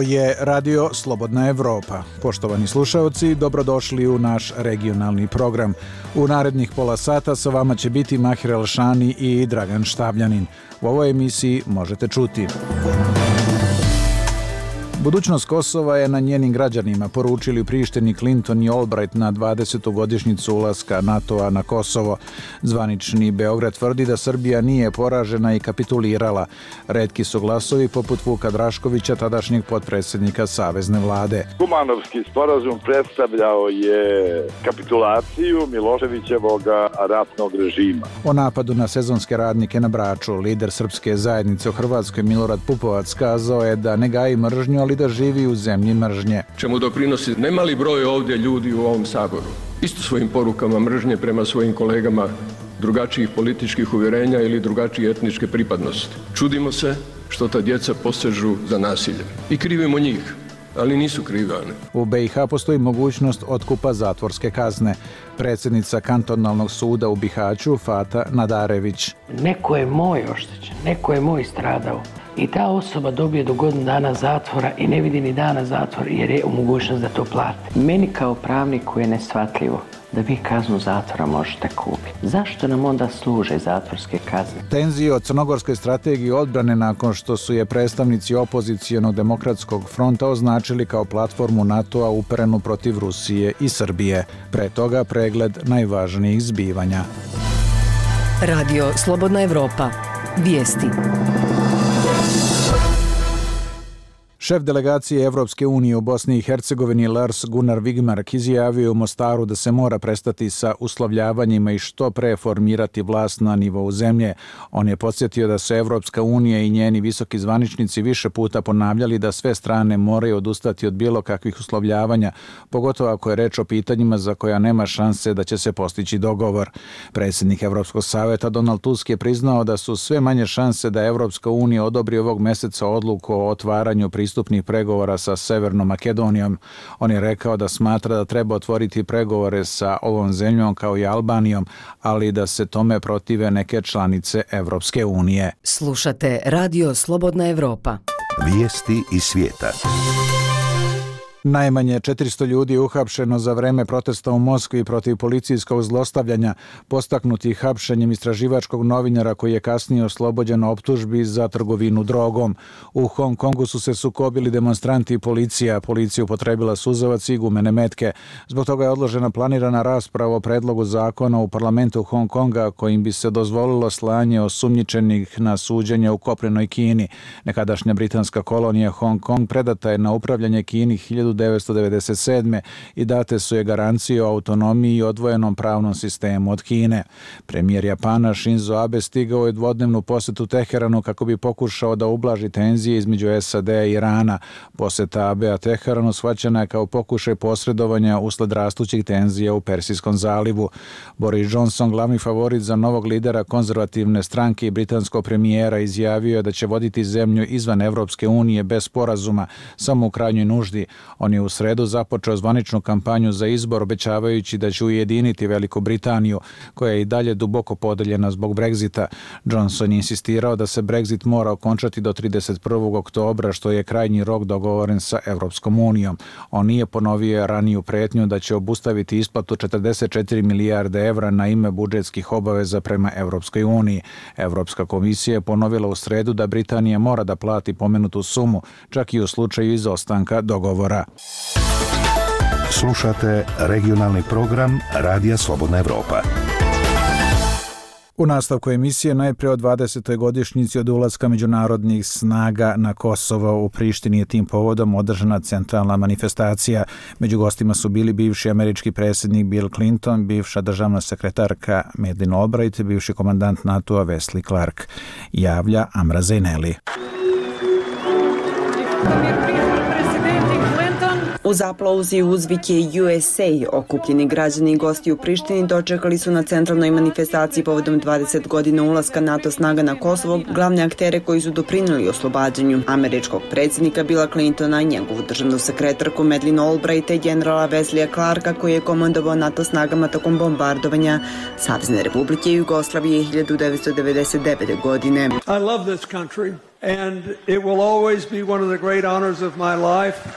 Ovo je Radio Slobodna Evropa. Poštovani slušaoci, dobrodošli u naš regionalni program. U narednih pola sata sa vama će biti Mahir Elšani i Dragan Štavljanin. U ovoj emisiji možete čuti: budućnost Kosova je na njenim građanima, poručili u Prištini Clinton i Albright na 20. godišnjicu ulaska NATO-a na Kosovo. Zvanični Beograd tvrdi da Srbija nije poražena i kapitulirala. Retki su glasovi poput Vuka Draškovića, tadašnjeg potpredsjednika Savezne vlade. Kumanovski sporazum predstavljao je kapitulaciju Miloševićevog ratnog režima. O napadu na sezonske radnike na Braču lider srpske zajednice u Hrvatskoj Milorad Pupovac kazao je da ne gaji mržnju, ali da živi u zemlji mržnje. Čemu doprinosi nemali broj ovdje ljudi u ovom Saboru. Isto svojim porukama mržnje prema svojim kolegama drugačijih političkih uvjerenja ili drugačije etničke pripadnosti. Čudimo se što ta djeca posežu za nasiljem. I krivimo njih, ali nisu krivi oni. U BiH postoji mogućnost otkupa zatvorske kazne. Predsjednica kantonalnog suda u Bihaću Fata Nadarević. Neko je moj oštećen, neko je moj stradao. I ta osoba dobije do godinu dana zatvora i ne vidi ni dana zatvora jer je u mogućnost da to plati. Meni kao pravniku je neshvatljivo da vi kaznu zatvora možete kupiti. Zašto nam onda služe zatvorske kazne? Tenzije o crnogorskoj strategiji odbrane nakon što su je predstavnici opozicijonog demokratskog fronta označili kao platformu NATO-a uperenu protiv Rusije i Srbije. Pre toga pregled najvažnijih zbivanja. Radio Slobodna Evropa. Vijesti. Šef delegacije Evropske unije u Bosni i Hercegovini Lars Gunnar Wigmark izjavio u Mostaru da se mora prestati sa uslovljavanjima i što pre formirati vlast na nivou zemlje. On je podsjetio da su Evropska unija i njeni visoki zvaničnici više puta ponavljali da sve strane moraju odustati od bilo kakvih uslovljavanja, pogotovo ako je reč o pitanjima za koja nema šanse da će se postići dogovor. Predsjednik Evropskog savjeta Donald Tusk je priznao da su sve manje šanse da Evropska unija odobri ovog meseca odluku o otvaranju pristupnih pregovora sa Severnom Makedonijom. On je rekao da smatra da treba otvoriti pregovore sa ovom zemljom kao i Albanijom, ali da se tome protive neke članice Evropske unije. Slušate Radio Slobodna Evropa. Vijesti iz svijeta. Najmanje 400 ljudi je uhapšeno za vreme protesta u Moskvi protiv policijskog zlostavljanja, postaknuti hapšenjem istraživačkog novinara koji je kasnije oslobođen optužbi za trgovinu drogom. U Hong Kongu su se sukobili demonstranti i policija. Policija upotrebila suzavac i gumene metke. Zbog toga je odložena planirana rasprava o predlogu zakona u parlamentu Hong Konga kojim bi se dozvolilo slanje osumnjičenih na suđenje u kopnenoj Kini. Nekadašnja britanska kolonija Hong Kong predata je na upravljanje Kini 1997. i date su je garancije o autonomiji i odvojenom pravnom sistemu od Kine. Premijer Japana Shinzo Abe stigao je dvodnevnu posjetu Teheranu kako bi pokušao da ublaži tenzije između SAD-a i Irana. Posjeta Abea Teheranu shvaćena je kao pokušaj posredovanja usled rastućih tenzija u Persijskom zalivu. Boris Johnson, glavni favorit za novog lidera konzervativne stranke i britanskog premijera, izjavio je da će voditi zemlju izvan Evropske unije bez sporazuma, samo u krajnjoj nuždi. On je u sredu započeo zvaničnu kampanju za izbor, obećavajući da će ujediniti Veliku Britaniju, koja je i dalje duboko podeljena zbog Brexita. Johnson je insistirao da se Brexit mora okončati do 31. oktobra, što je krajnji rok dogovoren sa Evropskom unijom. On nije ponovio raniju pretnju da će obustaviti isplatu 44 milijarde evra na ime budžetskih obaveza prema Evropskoj uniji. Evropska komisija je ponovila u sredu da Britanija mora da plati pomenutu sumu, čak i u slučaju izostanka dogovora. Slušate regionalni program Radija Slobodna Evropa. U nastavku emisije najprije o 20. godišnjici od ulaska međunarodnih snaga na Kosovo. U Prištini je tim povodom održana centralna manifestacija. Među gostima su bili bivši američki predsjednik Bill Clinton, bivša državna sekretarka Madeleine Albright, bivši komandant NATO-a Wesley Clark. Javlja Amra Zaineli. Uz aplauz i uzvike USA, okupljeni građani i gosti u Prištini dočekali su na centralnoj manifestaciji povodom 20 godina ulaska NATO snaga na Kosovo glavne aktere koji su doprinijeli oslobađanju američkog predsjednika Billa Clintona i njegovu državnu sekretarku Madeleine Albright i generala Wesleya Clarka koji je komandovao NATO snagama tokom bombardovanja Savezne Republike Jugoslavije 1999. godine. I love this country.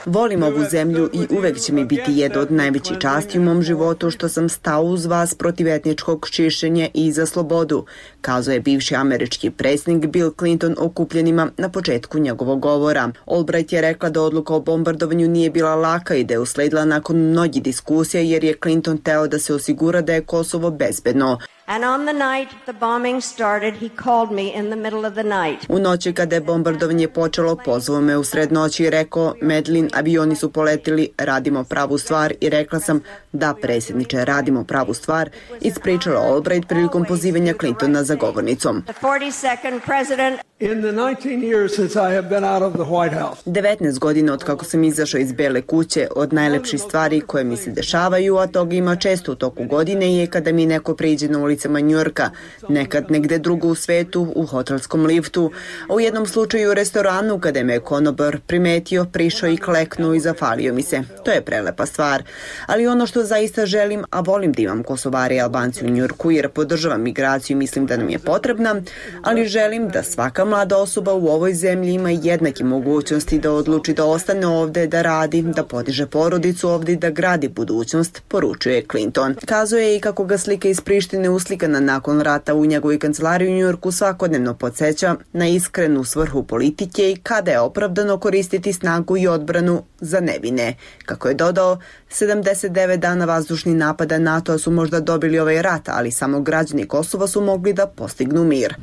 Volim ovu zemlju i uvek će mi biti jedna od najvećih časti u mom životu što sam stao uz vas protiv etničkog čišćenja i za slobodu, kazao je bivši američki predsjednik Bill Clinton okupljenima na početku njegovog govora. Albright je rekla da odluka o bombardovanju nije bila laka i da je usledila nakon mnogih diskusija jer je Clinton teo da se osigura da je Kosovo bezbedno. U noći kada je bombardovanje počelo, pozvao me u sred noći i rekao, Medlin, avioni su poletili, radimo pravu stvar i rekla sam, da predsjedniče, radimo pravu stvar, ispričala Albright prilikom pozivanja Clintona za govornicom. 19 godina od kako sam izašao iz Bele kuće, od najlepših stvari koje mi se dešavaju, a toga ima često u toku godine, je kada mi neko priđe na ulicama Njujorka, nekad negde drugo u svetu, u hotelskom liftu, a u jednom slučaju u restoranu kada me konobar primetio, prišao i kleknuo i zafalio mi se. To je prelepa stvar. Ali ono što zaista želim, a volim da imam Kosovare i Albanci u Njujorku jer podržavam migraciju i mislim da nam je potrebna, ali želim da svaka mlada osoba u ovoj zemlji ima jednake mogućnosti da odluči da ostane ovde, da radi, da podiže porodicu ovde i da gradi budućnost, poručuje Clinton. Kazao je i kako ga slika iz Prištine uslikana nakon rata u njegovoj kancelariji u Njujorku svakodnevno podsjeća na iskrenu svrhu politike i kada je opravdano koristiti snagu i odbranu za nevine. Kako je dodao, 79 dana vazdušnih napada NATO-a su možda dobili ovaj rat, ali samo građani Kosova su mogli da postignu mir.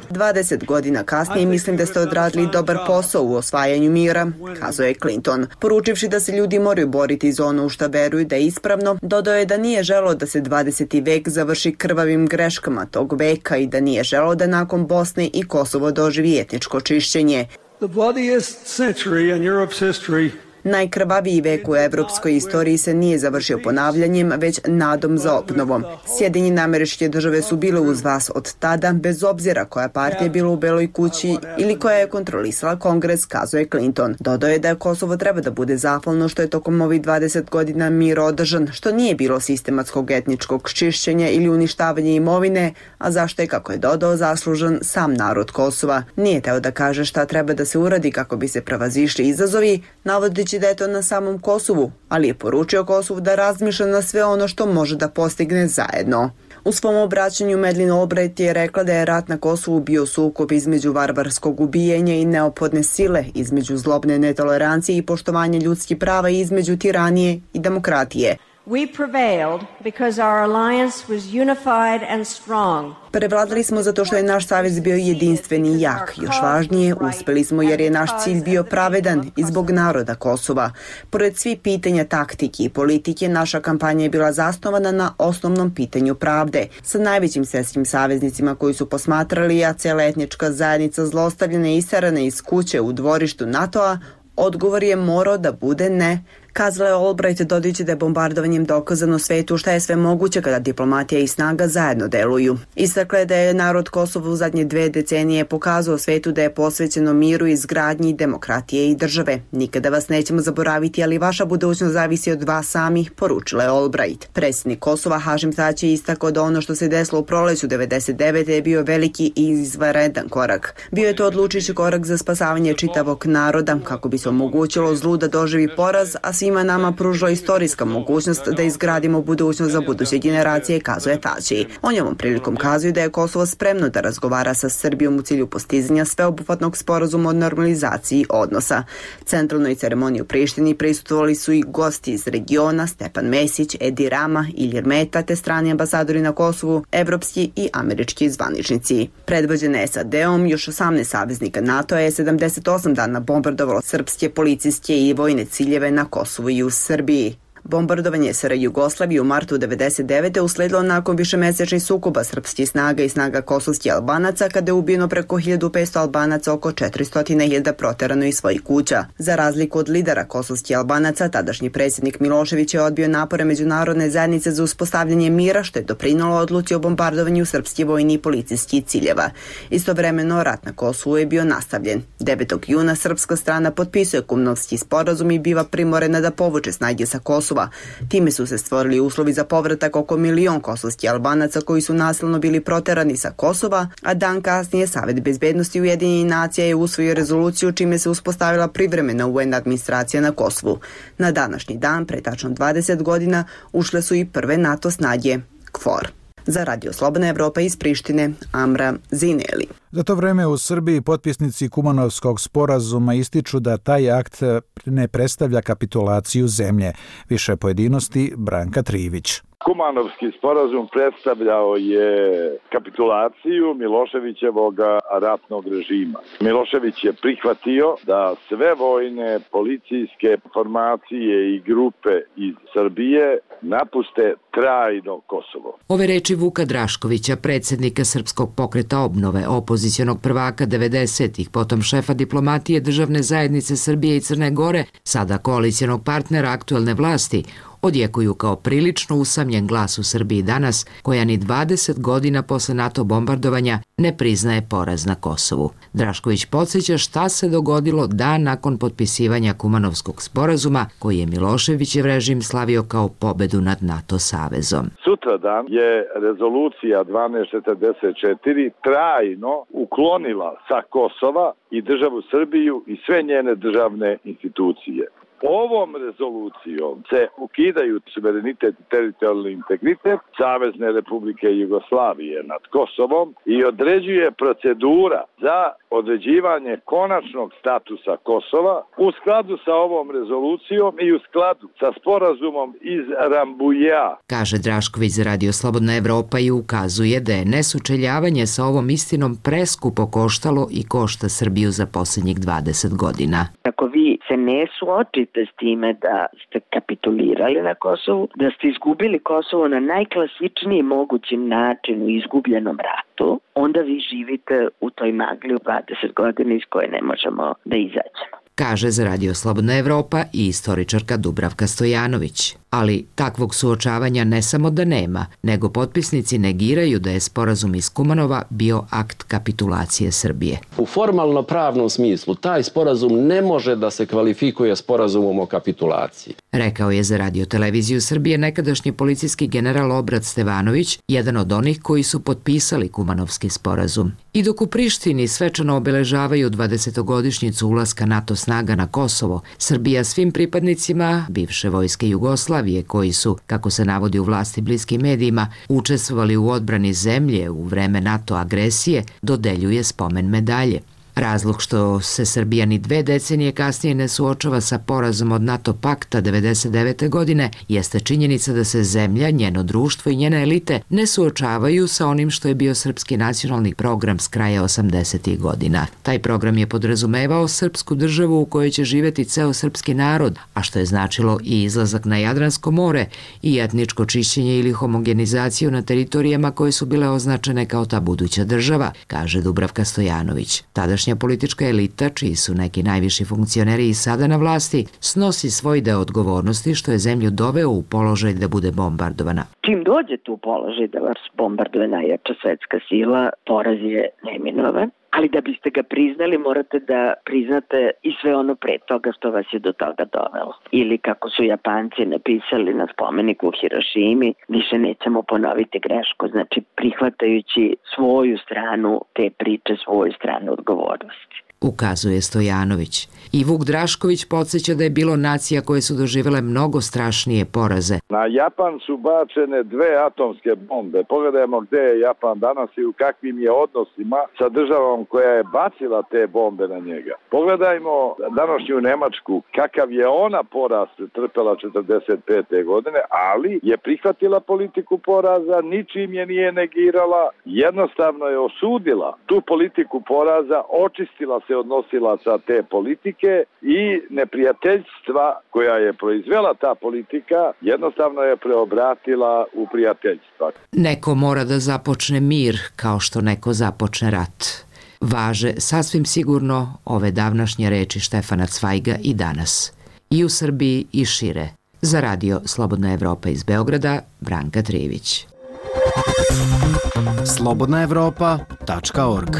20 godina kasnije mislim da ste odradili dobar posao u osvajanju mira, kazao je Clinton. Poručivši da se ljudi moraju boriti za ono u šta veruju da je ispravno, dodao je da nije želeo da se 20. vek završi krvavim greškama tog veka i da nije želeo da nakon Bosne i Kosovo doživi etničko čišćenje. Najkrvaviji vek u evropskoj istoriji se nije završio ponavljanjem, već nadom za obnovom. Sjedinjene Američke Države su bile uz vas od tada, bez obzira koja partija je bila u Beloj kući ili koja je kontrolisala Kongres, kazao je Clinton. Dodao je da Kosovo treba da bude zahvalno što je tokom ovih 20 godina mir održan, što nije bilo sistematskog etničkog čišćenja ili uništavanja imovine, a zašto je, kako je dodao, zaslužan sam narod Kosova. Nije teo da kaže šta treba da se uradi kako bi se prevazišli izazovi, navodeći da je to na samom Kosovu, ali je poručio Kosovu da razmišlja na sve ono što može da postigne zajedno. U svom obraćanju Madeleine Albright je rekla da je rat na Kosovu bio sukob između varvarskog ubijanja i neophodne sile, između zlobne netolerancije i poštovanja ljudskih prava i između tiranije i demokratije. Prevladali smo zato što je naš savez bio jedinstven i jak. Još važnije, uspeli smo jer je naš cilj bio pravedan i zbog naroda Kosova. Pored svih pitanja taktike i politike, naša kampanja je bila zasnovana na osnovnom pitanju pravde. Sa najvećim svjetskim saveznicima koji su posmatrali, a cijela etnička zajednica zlostavljena i istarana iz kuće u dvorištu NATO-a, odgovor je morao da bude ne. Kazala je Albright, dodajući da je bombardovanjem dokazano svetu šta je sve moguće kada diplomatija i snaga zajedno deluju. Istakla je da je narod Kosova u zadnje 2 decenije pokazao svetu da je posvećeno miru, izgradnji, demokratije i države. Nikada vas nećemo zaboraviti, ali vaša budućnost zavisi od vas samih, poručila je Albright. Predsjednik Kosova Hašim Tači je istakao da ono što se desilo u proleću 99. je bio veliki i izvanredan korak. Bio je to odlučujući korak za spasavanje čitavog naroda, kako bi se omogućilo zlu da doživi poraz, a svima nama pružila istorijska mogućnost da izgradimo budućnost za buduće generacije, kazuje Tači. On je ovom prilikom kazuje da je Kosovo spremno da razgovara sa Srbijom u cilju postizanja sveobuhvatnog sporazuma o normalizaciji odnosa. Centralnoj ceremoniji u Prištini prisustvovali su i gosti iz regiona, Stepan Mesić, Edi Rama, Ilir Meta, te strani ambasadori na Kosovu, evropski i američki zvaničnici. Predvođene SAD-om, još 18 saveznika NATO je 78 dana bombardovalo srpske policijske i vojne ciljeve na Kosovu i u Srbiji. Bombardovanje SR Jugoslavije u martu 1999. usledilo nakon višemesečnih sukoba srpskih snaga i snaga kosovskih Albanaca, kada je ubijeno preko 1500 Albanaca, oko 400.000 proterano iz svojih kuća. Za razliku od lidera kosovskih Albanaca, tadašnji predsjednik Milošević je odbio napore međunarodne zajednice za uspostavljanje mira, što je doprinalo odluci o bombardovanju srpskih vojnih i policijskih ciljeva. Istovremeno, rat na Kosovu je bio nastavljen. 9. juna srpska strana potpisuje Kumnovski sporazum i biva primorena da povuče snage sa Kosova Kosova. Time su se stvorili uslovi za povratak oko 1 milion kosovskih Albanaca koji su nasilno bili proterani sa Kosova, a dan kasnije Savet bezbednosti Ujedinjenih nacija je usvojio rezoluciju čime se uspostavila privremena UN administracija na Kosovu. Na današnji dan, pre tačno 20 godina, ušle su i prve NATO snage KFOR. Za Radio Slobodna Evropa iz Prištine, Amra Zineli. Za to vreme u Srbiji potpisnici Kumanovskog sporazuma ističu da taj akt ne predstavlja kapitulaciju zemlje. Više pojedinosti Branka Trivić. Kumanovski sporazum predstavljao je kapitulaciju Miloševićevog ratnog režima. Milošević je prihvatio da sve vojne, policijske formacije i grupe iz Srbije napuste trajno Kosovo. Ove reči Vuka Draškovića, predsjednika Srpskog pokreta obnove, opozicionog prvaka 90-ih, potom šefa diplomatije Državne zajednice Srbije i Crne Gore, sada koalicijonog partnera aktuelne vlasti, odjekuju kao prilično usamljen glas u Srbiji danas, koja ni 20 godina posle NATO bombardovanja ne priznaje poraz na Kosovu. Drašković podsjeća šta se dogodilo dan nakon potpisivanja Kumanovskog sporazuma, koji je Miloševićev režim slavio kao pobedu nad NATO savezom. Sutradan je rezolucija 1244 trajno uklonila sa Kosova i državu Srbiju i sve njene državne institucije. Ovom rezolucijom se ukidaju suverenitet i teritorijalni integritet Savezne Republike Jugoslavije nad Kosovom i određuje procedura za određivanje konačnog statusa Kosova u skladu sa ovom rezolucijom i u skladu sa sporazumom iz Rambuja. Kaže Drašković za Radio Slobodna Evropa i ukazuje da je nesučeljavanje sa ovom istinom preskupo koštalo i košta Srbiju za posljednjih 20 godina. Ako vi se ne suočite s time da ste kapitulirali na Kosovu, da ste izgubili Kosovo na najklasičniji mogući način u izgubljenom ratu, onda vi živite u toj magli u 20 godina iz koje ne možemo da izađemo. Kaže za Radio Slobodna Evropa i istoričarka Dubravka Stojanović. Ali takvog suočavanja ne samo da nema, nego potpisnici negiraju da je sporazum iz Kumanova bio akt kapitulacije Srbije. U formalno pravnom smislu taj sporazum ne može da se kvalifikuje sporazumom o kapitulaciji. Rekao je za Radio televiziju Srbije nekadašnji policijski general Obrat Stevanović, jedan od onih koji su potpisali Kumanovski sporazum. I dok u Prištini svečano obeležavaju 20-godišnjicu ulaska NATO snaga na Kosovo, Srbija svim pripadnicima bivše vojske Jugoslavije koji su, kako se navodi u vlasti bliskim medijima, učestvovali u odbrani zemlje u vreme NATO agresije, dodeljuje spomen medalje. Razlog što se Srbija ni 2 decenije kasnije ne suočava sa porazom od NATO pakta 1999. godine jeste činjenica da se zemlja, njeno društvo i njene elite ne suočavaju sa onim što je bio srpski nacionalni program s kraja 80. godina. Taj program je podrazumevao srpsku državu u kojoj će živjeti ceo srpski narod, a što je značilo i izlazak na Jadransko more i etničko čišćenje ili homogenizaciju na teritorijama koje su bile označene kao ta buduća država, kaže Dubravka Stojanović. Tadašnja politička elita, čiji su neki najviši funkcioneri i sada na vlasti, snosi svoj deo odgovornosti što je zemlju doveo u položaj da bude bombardovana. Čim dođete u položaj da vas bombarduje najjača svetska sila, poraz je neminovan. Ali da biste ga priznali, morate da priznate i sve ono pre toga što vas je do toga dovelo. Ili kako su Japanci napisali na spomeniku u Hirošimi, više nećemo ponoviti grešku, znači prihvatajući svoju stranu te priče, svoju stranu odgovornosti. Ukazuje Stojanović. I Vuk Drašković podsjeća da je bilo nacija koje su doživjele mnogo strašnije poraze. Na Japan su bačene 2 atomske bombe. Pogledajmo gde je Japan danas i u kakvim je odnosima sa državom koja je bacila te bombe na njega. Pogledajmo današnju Nemačku, kakav je ona poraz trpela 45. godine, ali je prihvatila politiku poraza, ničim je nije negirala, jednostavno je osudila tu politiku poraza, očistila se odnosila sa te politike i neprijateljstva koja je proizvela ta politika jednostavno je preobratila u prijateljstva. Neko mora da započne mir kao što neko započne rat. Važe sasvim sigurno ove davnašnje reči Štefana Cvajga i danas. I u Srbiji i šire. Za Radio Slobodna Evropa iz Beograda, Branka Trivić. slobodnaevropa.org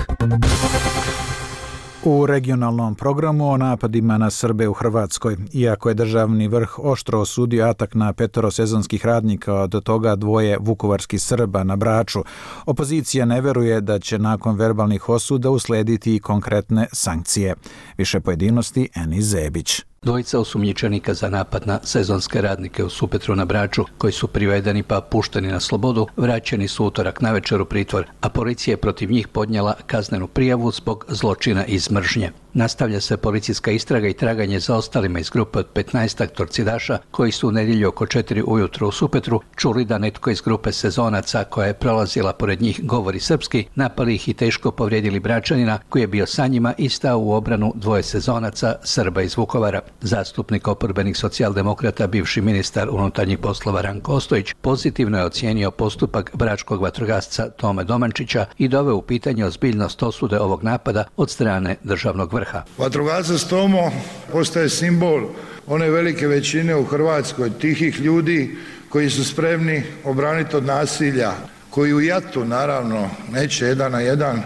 U regionalnom programu o napadima na Srbe u Hrvatskoj, iako je državni vrh oštro osudio atak na 5 sezonskih radnika, od toga 2 vukovarskih Srba na Braču, opozicija ne veruje da će nakon verbalnih osuda uslediti i konkretne sankcije. Više pojedinosti Eni Zebić. 2 osumnjičenika za napad na sezonske radnike u Supetru na Braču, koji su privedeni pa pušteni na slobodu, vraćeni su utorak navečer u pritvor, a policija je protiv njih podnijela kaznenu prijavu zbog zločina iz mržnje. Nastavlja se policijska istraga i traganje za ostalima iz grupe od 15 torcidaša koji su u nedjelju oko 4 ujutro u Supetru čuli da netko iz grupe sezonaca koja je prolazila pored njih govori srpski, napali ih i teško povrijedili Bračanina koji je bio sa njima i stao u obranu 2 sezonaca Srba iz Vukovara. Zastupnik oporbenih socijaldemokrata, bivši ministar unutarnjih poslova Ranko Ostojić, pozitivno je ocijenio postupak bračkog vatrogasca Tome Domančića i doveo u pitanje ozbiljnost osude ovog napada od strane državnog vrha. Vatrogasac Tomo postaje simbol one velike većine u Hrvatskoj tihih ljudi koji su spremni obraniti od nasilja, koji u jatu naravno neće 1 na 1,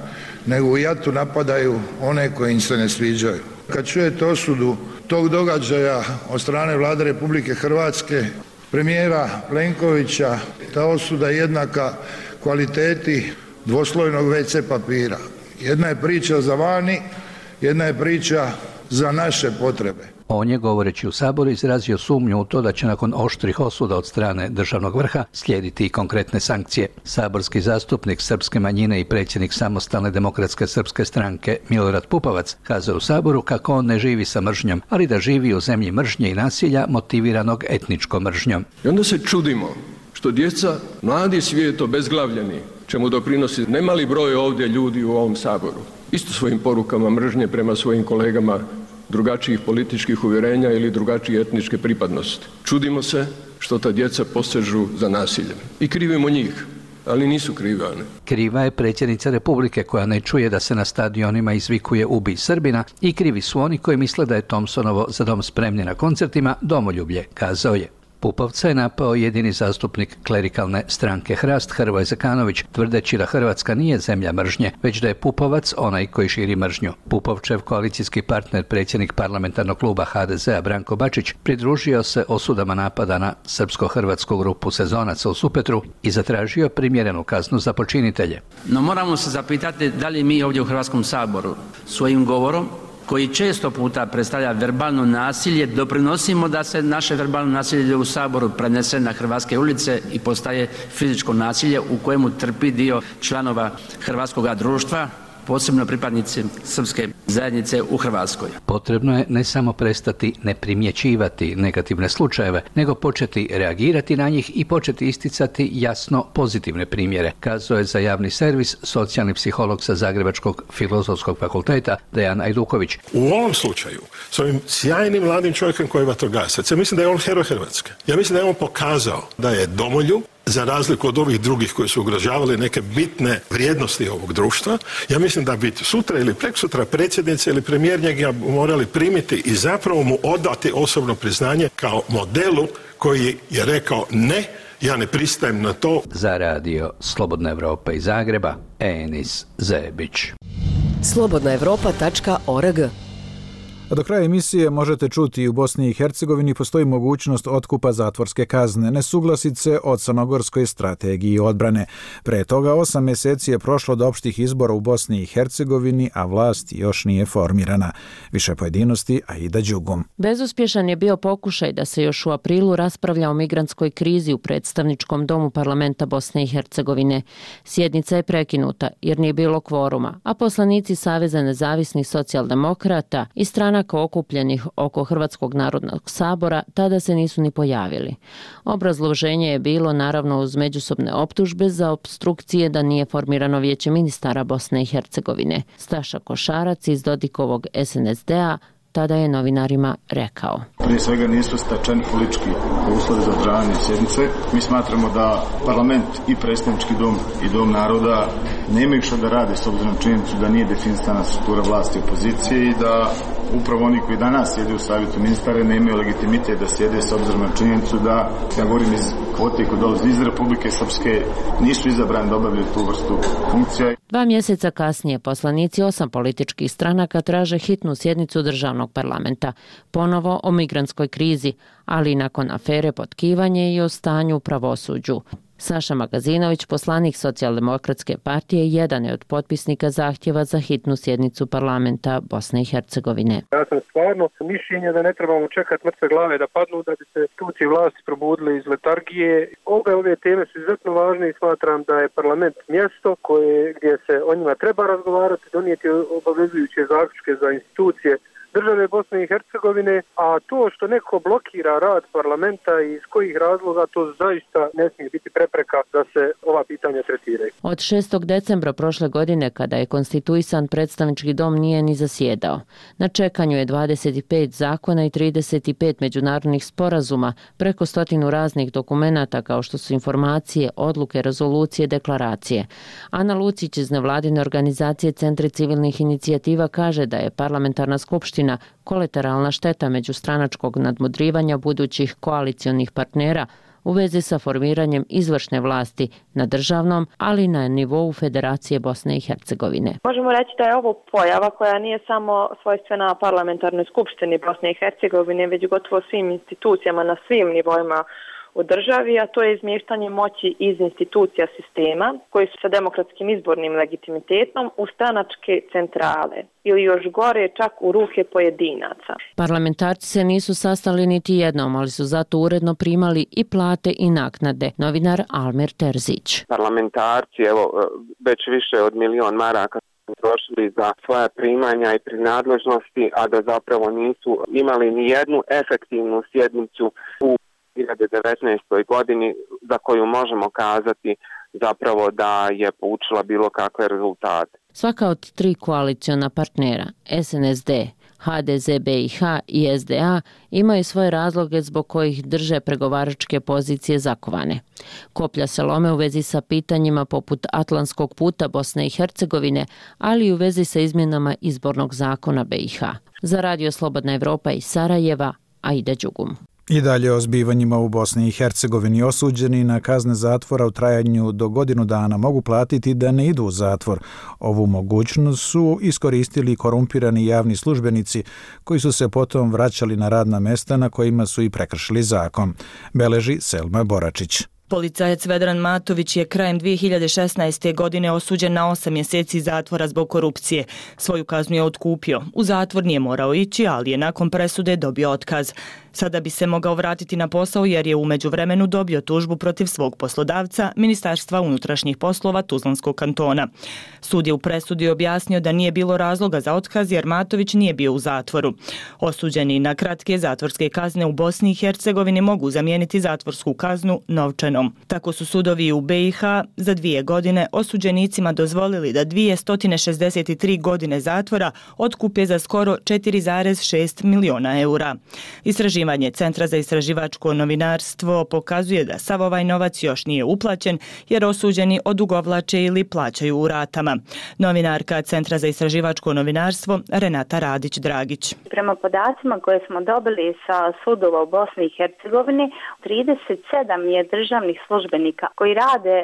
nego u jatu napadaju one koji im se ne sviđaju. Kad čujete osudu tog događaja od strane Vlade Republike Hrvatske, premijera Plenkovića, ta osuda je jednaka kvaliteti dvoslojnog WC papira. Jedna je priča za vani, jedna je priča za naše potrebe. On je, govoreći u Saboru, izrazio sumnju u to da će nakon oštrih osuda od strane državnog vrha slijediti i konkretne sankcije. Saborski zastupnik srpske manjine i predsjednik Samostalne demokratske srpske stranke Milorad Pupovac kazao u Saboru kako on ne živi sa mržnjom, ali da živi u zemlji mržnje i nasilja motiviranog etničkom mržnjom. I onda se čudimo što djeca, mladi svijet obezglavljeni, čemu doprinosi nemali broj ovdje ljudi u ovom Saboru, isto svojim porukama mržnje prema svojim kolegama drugačijih političkih uvjerenja ili drugačije etničke pripadnosti. Čudimo se što ta djeca posežu za nasiljem. I krivimo njih, ali nisu krive one. Kriva je predsjednica Republike koja ne čuje da se na stadionima izvikuje ubij Srbina i krivi su oni koji misle da je Thompsonovo Za dom spremni na koncertima domoljublje, kazao je. Pupovca je napao jedini zastupnik klerikalne stranke Hrast, Hrvoje Zekanović, tvrdeći da Hrvatska nije zemlja mržnje, već da je Pupovac onaj koji širi mržnju. Pupovčev koalicijski partner, predsjednik parlamentarnog kluba HDZ-a Branko Bačić, pridružio se osudama napada na srpsko-hrvatsku grupu sezonaca u Supetru i zatražio primjerenu kaznu za počinitelje. No moramo se zapitati da li mi ovdje u Hrvatskom saboru svojim govorom, koji često puta predstavlja verbalno nasilje, doprinosimo da se naše verbalno nasilje u Saboru prenese na hrvatske ulice i postaje fizičko nasilje u kojemu trpi dio članova hrvatskoga društva, posebno pripadnici srpske zajednice u Hrvatskoj. Potrebno je ne samo prestati ne primjećivati negativne slučajeve, nego početi reagirati na njih i početi isticati jasno pozitivne primjere, kazao je za javni servis socijalni psiholog sa Zagrebačkog filozofskog fakulteta Dejan Ajduković. U ovom slučaju, s ovim sjajnim mladim čovjekom koji je vatrogasac, ja mislim da je on heroj Hrvatske. Ja mislim da je on pokazao da je domoljub, za razliku od ovih drugih koji su ugrožavali neke bitne vrijednosti ovog društva. Ja mislim da bi sutra ili preksutra predsjednica ili premijer njega morali primiti i zapravo mu odati osobno priznanje kao modelu koji je rekao ne, ja ne pristajem na to. Za radio Slobodna Evropa iz Zagreba, Enis Zebić. slobodnaevropa.org. A do kraja emisije možete čuti i u Bosni i Hercegovini postoji mogućnost otkupa zatvorske kazne, nesuglasice o crnogorskoj strategiji odbrane. Pre toga 8 mjeseci je prošlo do opštih izbora u Bosni i Hercegovini, a vlast još nije formirana. Više pojedinosti Aida Đugum. Bezuspješan je bio pokušaj da se još u aprilu raspravlja o migrantskoj krizi u predstavničkom domu parlamenta Bosne i Hercegovine. Sjednica je prekinuta jer nije bilo kvoruma, a poslanici Saveza nezavisnih socijaldemokrata i stranaka okupljenih oko Hrvatskog narodnog sabora tada se nisu ni pojavili. Obrazloženje je bilo naravno uz međusobne optužbe za opstrukcije da nije formirano vijeće ministara Bosne i Hercegovine. Staša Košarac iz Dodikovog SNSD-a tada je novinarima rekao. Prije svega nisu stečeni politički uslovi za održavanje sjednice. Mi smatramo da parlament i predstavnički dom i dom naroda nemaju što da rade s obzirom na činjenicu da nije definisana struktura vlasti i opozicije i da upravo oni koji danas sjede u savjetu ministara nemaju legitimitet da sjede s obzirom na činjenicu da, ja govorim iz kvote koji dolazi iz Republike Srpske, nisu izabrani da obavljaju tu vrstu funkcija. 2 mjeseca kasnije poslanici 8 političkih stranaka traže hitnu sjednicu državnog parlamenta, ponovo o migrantskoj krizi, ali i nakon afere potkivanje i o stanju u pravosuđu. Saša Magazinović, poslanik Socijaldemokratske partije, jedan je od potpisnika zahtjeva za hitnu sjednicu parlamenta Bosne i Hercegovine. Ja sam stvarno mišljenja da ne trebamo čekati mrtve glave da padnu da bi se institucije vlasti probudili iz letargije. Ove teme su izuzetno važne i smatram da je parlament mjesto gdje se o njima treba razgovarati, donijeti obavezujuće zaključke za institucije države Bosne i Hercegovine, a to što neko blokira rad parlamenta i iz kojih razloga, to zaista ne smije biti prepreka da se ova pitanja tretiraju. Od 6. decembra prošle godine, kada je konstituisan, predstavnički dom nije ni zasjedao. Na čekanju je 25 zakona i 35 međunarodnih sporazuma, preko 100 raznih dokumenata kao što su informacije, odluke, rezolucije, deklaracije. Ana Lucić iz nevladine organizacije Centri civilnih inicijativa kaže da je parlamentarna skupština kolateralna šteta međustranačkog nadmudrivanja budućih koalicionih partnera u vezi sa formiranjem izvršne vlasti na državnom, ali i na nivou Federacije Bosne i Hercegovine. Možemo reći da je ovo pojava koja nije samo svojstvena parlamentarnoj skupštini Bosne i Hercegovine, već gotovo svim institucijama na svim nivoima u državi, a to je izmještanje moći iz institucija sistema koji su sa demokratskim izbornim legitimitetom u stranačke centrale ili još gore čak u ruke pojedinaca. Parlamentarci se nisu sastali niti jednom, ali su zato uredno primali i plate i naknade. Novinar Almer Terzić. Parlamentarci, već više od 1.000.000 maraka trošili za svoja primanja i prinadležnosti, a da zapravo nisu imali ni jednu efektivnu sjednicu u 2019. godini za koju možemo kazati zapravo da je poučila bilo kakve rezultate. Svaka od 3 koaliciona partnera, SNSD, HDZ BiH i SDA, imaju svoje razloge zbog kojih drže pregovaračke pozicije zakovane. Koplja se lome u vezi sa pitanjima poput Atlantskog puta Bosne i Hercegovine, ali i u vezi sa izmjenama izbornog zakona BiH. Za Radio Slobodna Evropa iz Sarajeva, Aida Đugum. I dalje o zbivanjima u Bosni i Hercegovini. Osuđeni na kazne zatvora u trajanju do godinu dana mogu platiti da ne idu u zatvor. Ovu mogućnost su iskoristili korumpirani javni službenici koji su se potom vraćali na radna mesta na kojima su i prekršili zakon. Beleži Selma Boračić. Policajac Vedran Matović je krajem 2016. godine osuđen na 8 mjeseci zatvora zbog korupcije. Svoju kaznu je otkupio. U zatvor nije morao ići, ali je nakon presude dobio otkaz. Sada bi se mogao vratiti na posao jer je u međuvremenu dobio tužbu protiv svog poslodavca, Ministarstva unutrašnjih poslova Tuzlanskog kantona. Sud je u presudi objasnio da nije bilo razloga za otkaz jer Matović nije bio u zatvoru. Osuđeni na kratke zatvorske kazne u Bosni i Hercegovini mogu zamijeniti zatvorsku kaznu novčanom. Tako su sudovi u BiH za 2 godine osuđenicima dozvolili da 263 godine zatvora otkupe za skoro 4,6 miliona eura. Istraživanje Centra za istraživačko novinarstvo pokazuje da sav ovaj novac još nije uplaćen jer osuđeni odugovlače ili plaćaju u ratama. Novinarka Centra za istraživačko novinarstvo Renata Radić-Dragić. Prema podacima koje smo dobili sa sudova u Bosni i Hercegovini, 37 je državnih službenika koji rade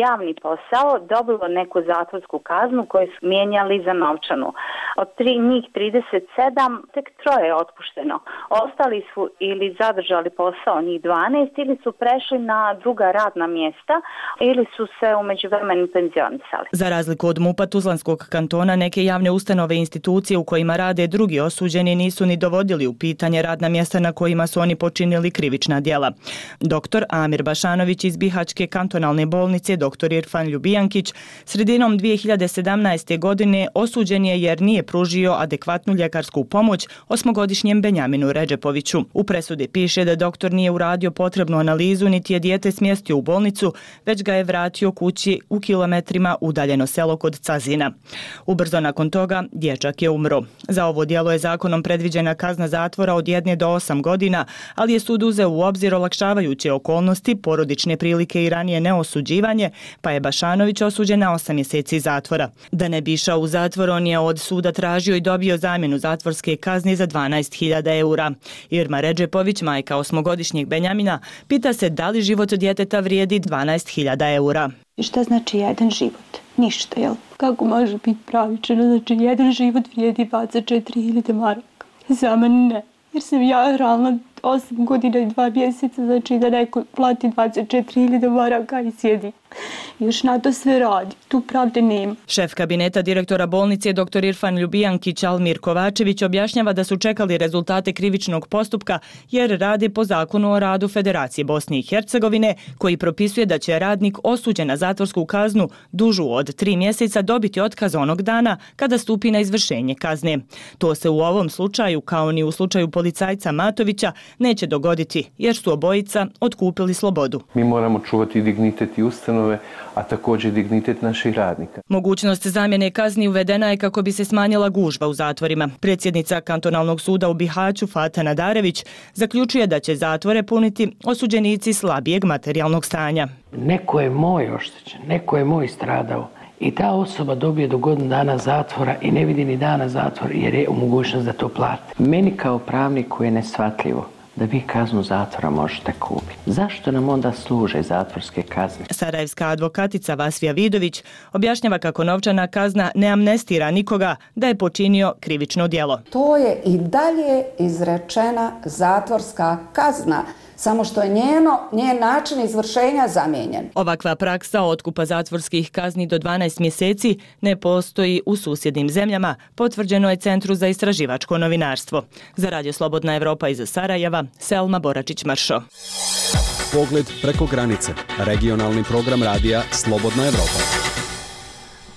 javni posao dobilo neku zatvorsku kaznu koju su mijenjali za novčanu. Od njih 37 tek 3 je otpušteno. Ostali su ili zadržali posao njih 12 ili su prešli na druga radna mjesta ili su se u međuvremenu penzionisali. Za razliku od MUP-a Tuzlanskog kantona, neke javne ustanove i institucije u kojima rade drugi osuđeni nisu ni dovodili u pitanje radna mjesta na kojima su oni počinili krivična djela. Dr. Amir Bašanović iz Bihaćke kantonalne bolnice, dr. Irfan Ljubijankić, sredinom 2017. godine osuđen je jer nije pružio adekvatnu ljekarsku pomoć 8-godišnjem Benjaminu Redžepoviću. U presudi piše da doktor nije uradio potrebnu analizu niti je dijete smjestio u bolnicu, već ga je vratio kući u kilometrima udaljeno selo kod Cazina. Ubrzo nakon toga dječak je umro. Za ovo djelo je zakonom predviđena kazna zatvora od 1 do 8 godina, ali je sud uzeo u obzir olakšavajuće okolnosti, porodične slične prilike i ranije neosuđivanje, pa je Bašanović osuđen na 8 mjeseci zatvora. Da ne bi išao u zatvor, on je od suda tražio i dobio zamjenu zatvorske kazne za 12.000 eura. Irma Redžepović, majka 8-godišnjeg Benjamina, pita se da li život djeteta vrijedi 12.000 eura. Šta znači jedan život? Ništa, jel? Kako može biti pravično? Znači, jedan život vrijedi 24.000 maraka. Za mene ne. Jer sam ja realno 8 godina i 2 mjeseca, znači da neko plati 24.000 maraka i sjedi. Još na to sve radi. Tu pravde nema. Šef kabineta direktora bolnice dr. Irfan Ljubijankić Almir Kovačević objašnjava da su čekali rezultate krivičnog postupka jer rade po zakonu o radu Federacije Bosne i Hercegovine koji propisuje da će radnik osuđen na zatvorsku kaznu dužu od 3 mjeseca dobiti otkaz onog dana kada stupi na izvršenje kazne. To se u ovom slučaju, kao ni u slučaju policajca Matovića, neće dogoditi jer su obojica otkupili slobodu. Mi moramo čuvati dignitet i ustanove, a također dignitet naših radnika. Mogućnost zamjene kazni uvedena je kako bi se smanjila gužva u zatvorima. Predsjednica kantonalnog suda u Bihaću Fata Nadarević zaključuje da će zatvore puniti osuđenici slabijeg materijalnog stanja. Neko je moj oštećen, neko je moj stradao i ta osoba dobije do godinu dana zatvora i ne vidi ni dana zatvora jer je u mogućnost da to plati. Meni kao pravniku je neshvatljivo da vi kaznu zatvora možete kupiti. Zašto nam onda služe zatvorske kazne? Sarajevska advokatica Vasvija Vidović objašnjava kako novčana kazna ne amnestira nikoga da je počinio krivično djelo. To je i dalje izrečena zatvorska kazna, samo što je njen način izvršenja zamijenjen. Ovakva praksa otkupa zatvorskih kazni do 12 mjeseci ne postoji u susjednim zemljama, potvrđeno je Centru za istraživačko novinarstvo. Za Radio Slobodna Evropa iz Sarajeva, Selma Boračić-Mršo. Pogled preko granice. Regionalni program radija Slobodna Evropa.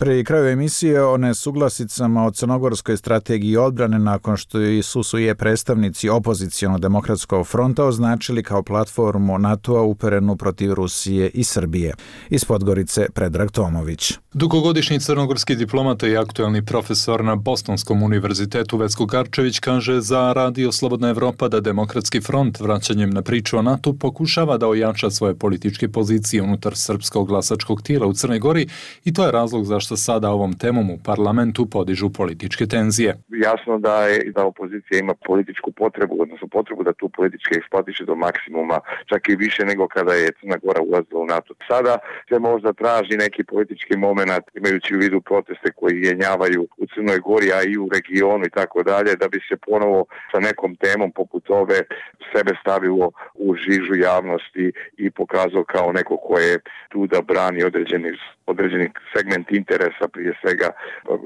Pri kraju emisije o nesuglasicama o crnogorskoj strategiji odbrane nakon što su je predstavnici opozicionog demokratskog fronta označili kao platformu NATO-a uperenu protiv Rusije i Srbije. Iz Podgorice Predrag Tomović. Dugogodišnji crnogorski diplomata i aktuelni profesor na Bostonskom univerzitetu Vesko Garčević kaže za Radio Slobodna Evropa da Demokratski front vraćanjem na priču o NATO pokušava da ojača svoje političke pozicije unutar srpskog glasačkog tijela u Crnoj Gori i to je razlog zašto sada ovom temom u parlamentu podižu političke tenzije. Jasno da opozicija ima političku potrebu, odnosno potrebu da tu politički eksploatiše do maksimuma, čak i više nego kada je Crna Gora ulazila u NATO. Sada se možda traži neki politički moment, imajući u vidu proteste koji jenjavaju u Crnoj Gori, a i u regionu i tako dalje, da bi se ponovo sa nekom temom poput ove sebe stavilo u žižu javnosti i pokazao kao neko ko je tu da brani određeni segment interesa, prije svega,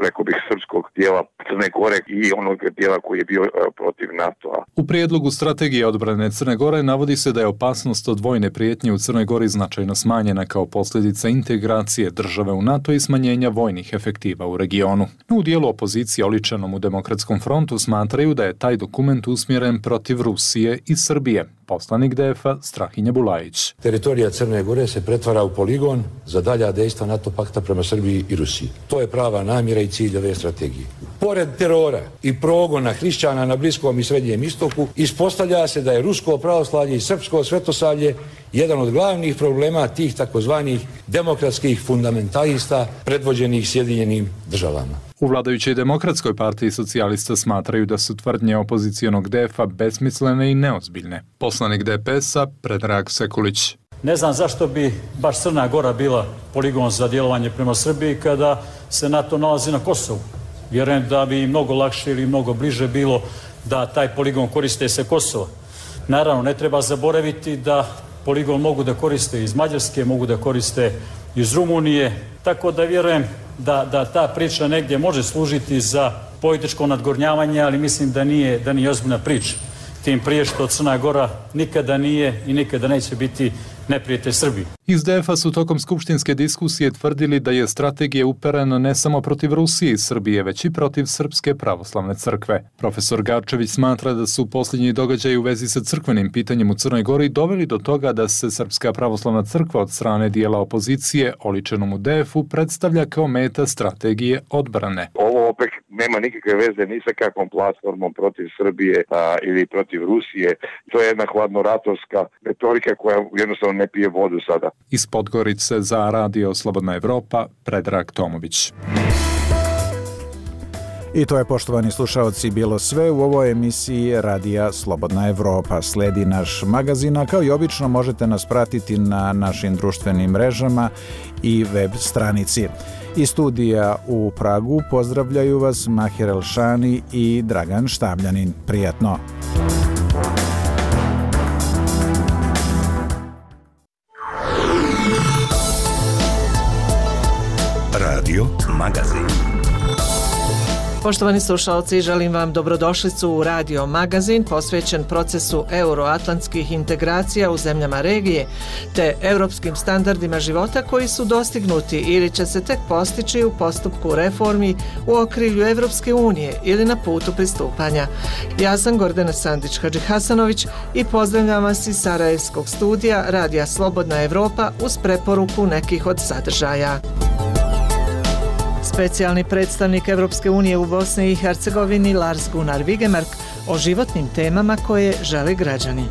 rekao bih, srpskog dijela Crne Gore i onog dijela koji je bio protiv NATO-a. U prijedlogu strategije odbrane Crne Gore navodi se da je opasnost od vojne prijetnje u Crnoj Gori značajno smanjena kao posljedica integracije države u NATO i smanjenja vojnih efektiva u regionu. U dijelu opozicije oličenom u Demokratskom frontu smatraju da je taj dokument usmjeren protiv Rusije i Srbije. Poslanik DF-a Strahinja Bulajić. Teritorija Crne Gore se pretvara u poligon za dalja dejstva NATO pakta prema Srbiji i Rusiji. To je prava namjera i cilj ove strategije. Pored terora i progona hrišćana na Bliskom i Srednjem istoku, ispostavlja se da je rusko pravoslavlje i srpsko svetosavlje jedan od glavnih problema tih takozvanih demokratskih fundamentalista predvođenih Sjedinjenim državama. U vladajućoj Demokratskoj partiji socijalista smatraju da su tvrdnje opozicijonog DF-a besmislene i neozbiljne. Poslanik DPS-a Predrag Sekulić. Ne znam zašto bi baš Crna Gora bila poligon za djelovanje prema Srbiji kada se NATO nalazi na Kosovu. Vjerujem da bi mnogo lakše ili mnogo bliže bilo da taj poligon koriste se Kosova. Naravno, ne treba zaboraviti da poligon mogu da koriste iz Mađarske, mogu da koriste iz Rumunije, tako da vjerujem da ta priča negdje može služiti za političko nadgornjavanje, ali mislim da nije ozbiljna priča. Tim prije što Crna Gora nikada nije i nikada neće biti neprijatelj Srbiji. Iz DF-a su tokom skupštinske diskusije tvrdili da je strategija uperena ne samo protiv Rusije i Srbije, već i protiv Srpske pravoslavne crkve. Profesor Garčević smatra da su posljednji događaji u vezi sa crkvenim pitanjem u Crnoj Gori doveli do toga da se Srpska pravoslavna crkva od strane dijela opozicije, oličenom u DF-u, predstavlja kao meta strategije odbrane. Ovo opet nema nikakve veze ni sa kakvom platformom protiv Srbije ili protiv Rusije. To je jedna hladnoratovska retorika koja jednostavno jednostavno ne pije vodu sada. Iz Podgorice za Radio Slobodna Evropa, Predrag Tomović. I to je, poštovani slušaoci, bilo sve u ovoj emisiji Radija Slobodna Evropa. Sledi naš magazin, a kao i obično možete nas pratiti na našim društvenim mrežama i web stranici. Iz studija u Pragu pozdravljaju vas Mahir Elšani i Dragan Štabljanin. Prijatno! Radio Magazin. Poštovani slušalci, želim vam dobrodošlicu u Radio Magazin posvećen procesu euroatlantskih integracija u zemljama regije te europskim standardima života koji su dostignuti ili će se tek postići u postupku reformi u okrilju Evropske unije ili na putu pristupanja. Ja sam Gordana Sandić-Hadžihasanović i pozdravljam vas iz Sarajevskog studija Radija Slobodna Evropa uz preporuku nekih od sadržaja. Specijalni predstavnik Evropske unije u Bosni i Hercegovini Lars Gunnar Vigemark o životnim temama koje žele građani.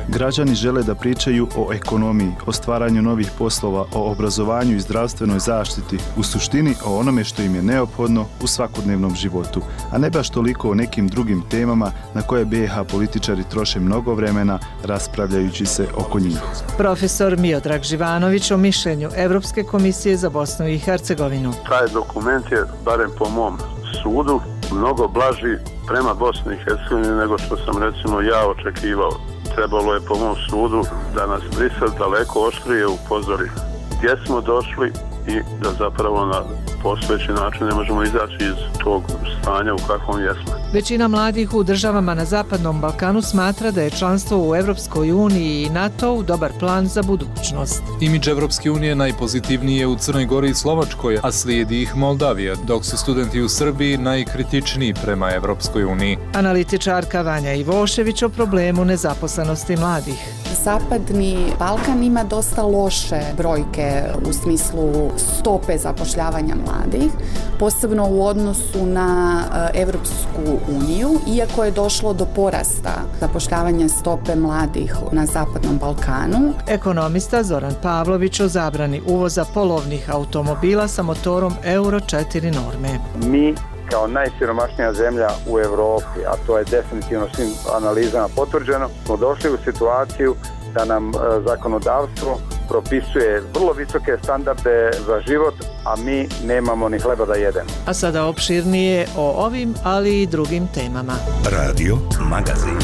Građani žele da pričaju o ekonomiji, o stvaranju novih poslova, o obrazovanju i zdravstvenoj zaštiti, u suštini o onome što im je neophodno u svakodnevnom životu, a ne baš toliko o nekim drugim temama na koje BiH političari troše mnogo vremena raspravljajući se oko njih. Profesor Miodrag Živanović o mišljenju Evropske komisije za Bosnu i Hercegovinu. Taj dokument je, barem po mom sudu, mnogo blaži prema Bosni i Hercegovini nego što sam recimo ja očekivao. Trebalo je po mom sudu da nas Brisel daleko oštrije upozori gdje smo došli i da zapravo na postojeći način ne možemo izaći iz tog stanja u kakvom jesmo. Većina mladih u državama na Zapadnom Balkanu smatra da je članstvo u Evropskoj uniji i NATO dobar plan za budućnost. Imidž Evropske unije najpozitivniji je u Crnoj Gori i Slovačkoj, a slijedi ih Moldavija, dok su studenti u Srbiji najkritičniji prema Evropskoj uniji. Analitičarka Vanja Ivošević o problemu nezaposlenosti mladih. Zapadni Balkan ima dosta loše brojke u smislu stope zapošljavanja mladih, posebno u odnosu na Evropsku uniju, iako je došlo do porasta zapošljavanja stope mladih na Zapadnom Balkanu. Ekonomista Zoran Pavlović o zabrani uvoza polovnih automobila sa motorom Euro 4 norme. Mi kao najsiromašnija zemlja u Evropi, a to je definitivno svim analizama potvrđeno, smo došli u situaciju da nam zakonodavstvo propisuje vrlo visoke standarde za život, a mi nemamo ni hleba da jedemo. A sada opširnije o ovim, ali i drugim temama. Radio Magazin.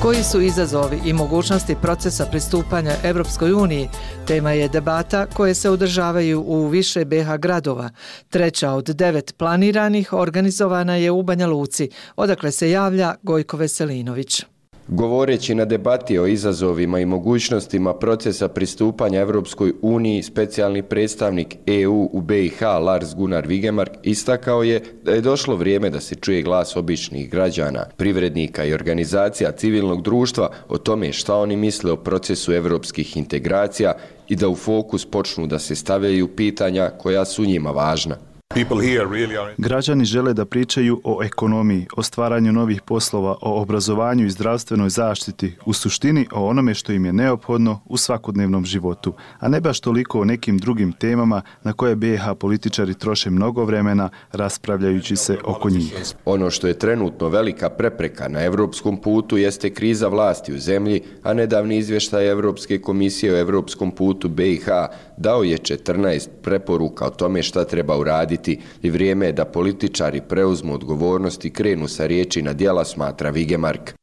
Koji su izazovi i mogućnosti procesa pristupanja Evropskoj uniji? Tema je debata koje se održavaju u više BiH gradova. Treća od 9 planiranih organizovana je u Banja Luci, odakle se javlja Gojko Veselinović. Govoreći na debati o izazovima i mogućnostima procesa pristupanja Evropskoj uniji, specijalni predstavnik EU u BiH Lars Gunnar Vigemark istakao je da je došlo vrijeme da se čuje glas običnih građana, privrednika i organizacija civilnog društva o tome šta oni misle o procesu evropskih integracija i da u fokus počnu da se stavljaju pitanja koja su njima važna. Građani žele da pričaju o ekonomiji, o stvaranju novih poslova, o obrazovanju i zdravstvenoj zaštiti, u suštini o onome što im je neophodno u svakodnevnom životu, a ne baš toliko o nekim drugim temama na koje BiH političari troše mnogo vremena raspravljajući se oko njih. Ono što je trenutno velika prepreka na evropskom putu jeste kriza vlasti u zemlji, a nedavni izvještaj Evropske komisije o evropskom putu BiH dao je 14 preporuka o tome šta treba uraditi i vrijeme je da političari preuzmu odgovornost i krenu sa riječi na djela, smatra Vigemark.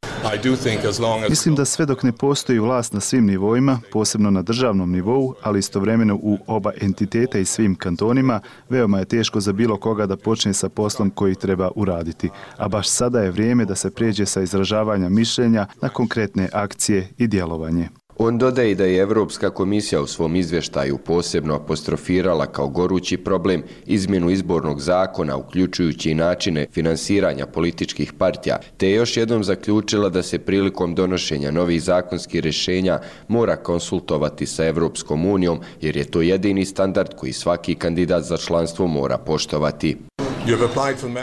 Mislim da sve dok ne postoji vlast na svim nivoima, posebno na državnom nivou, ali istovremeno u oba entiteta i svim kantonima, veoma je teško za bilo koga da počne sa poslom koji treba uraditi. A baš sada je vrijeme da se prijeđe sa izražavanja mišljenja na konkretne akcije i djelovanje. On dodaje da je Evropska komisija u svom izvještaju posebno apostrofirala kao gorući problem izmjenu izbornog zakona, uključujući i načine finansiranja političkih partija, te je još jednom zaključila da se prilikom donošenja novih zakonskih rješenja mora konsultovati sa Evropskom unijom, jer je to jedini standard koji svaki kandidat za članstvo mora poštovati.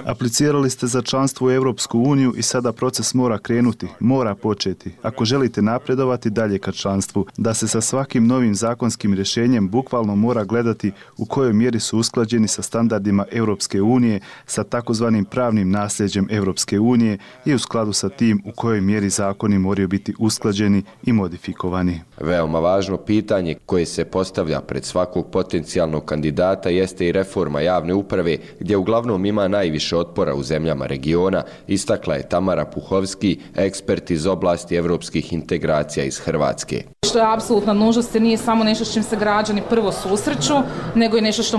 Aplicirali ste za članstvo u Europsku uniju i sada proces mora krenuti, mora početi. Ako želite napredovati dalje ka članstvu, da se sa svakim novim zakonskim rješenjem bukvalno mora gledati u kojoj mjeri su usklađeni sa standardima Europske unije, sa takozvanim pravnim nasljeđem Europske unije i u skladu sa tim u kojoj mjeri zakoni moraju biti usklađeni i modifikovani. Veoma važno pitanje koje se postavlja pred svakog potencijalnog kandidata jeste i reforma javne uprave, gdje uglavnom ima najviše otpora u zemljama regiona, istakla je Tamara Puhovski, ekspert iz oblasti evropskih integracija iz Hrvatske. Što je apsolutna nužnost, nije samo nešto s čim se građani prvo susreću, nego je nešto što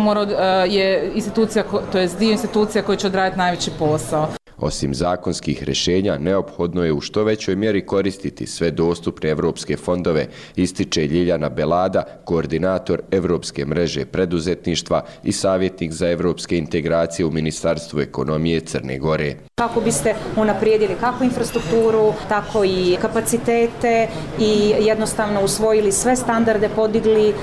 je institucija, to je dio institucija koji će odraditi najveći posao. Osim zakonskih rješenja, neophodno je u što većoj mjeri koristiti sve dostupne evropske fondove, ističe Ljiljana Belada, koordinator Evropske mreže preduzetništva i savjetnik za evropske integracije u Ministarstvu ekonomije Crne Gore. Kako biste unaprijedili kako infrastrukturu, tako i kapacitete i jednostavno usvojili sve standarde, podigli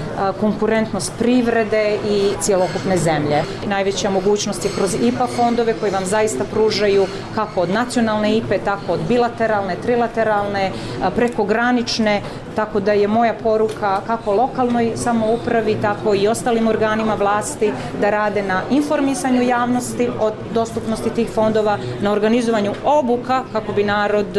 konkurentnost privrede i cjelokupne zemlje. Najveća mogućnost je kroz IPA fondove koji vam zaista pružaju kako od nacionalne IPE, tako od bilateralne, trilateralne, prekogranične, tako da je moja poruka kako lokalnoj samoupravi, tako i ostalim organima vlasti da rade na informisanju javnosti o dostupnosti tih fondova, na organizovanju obuka kako bi narod,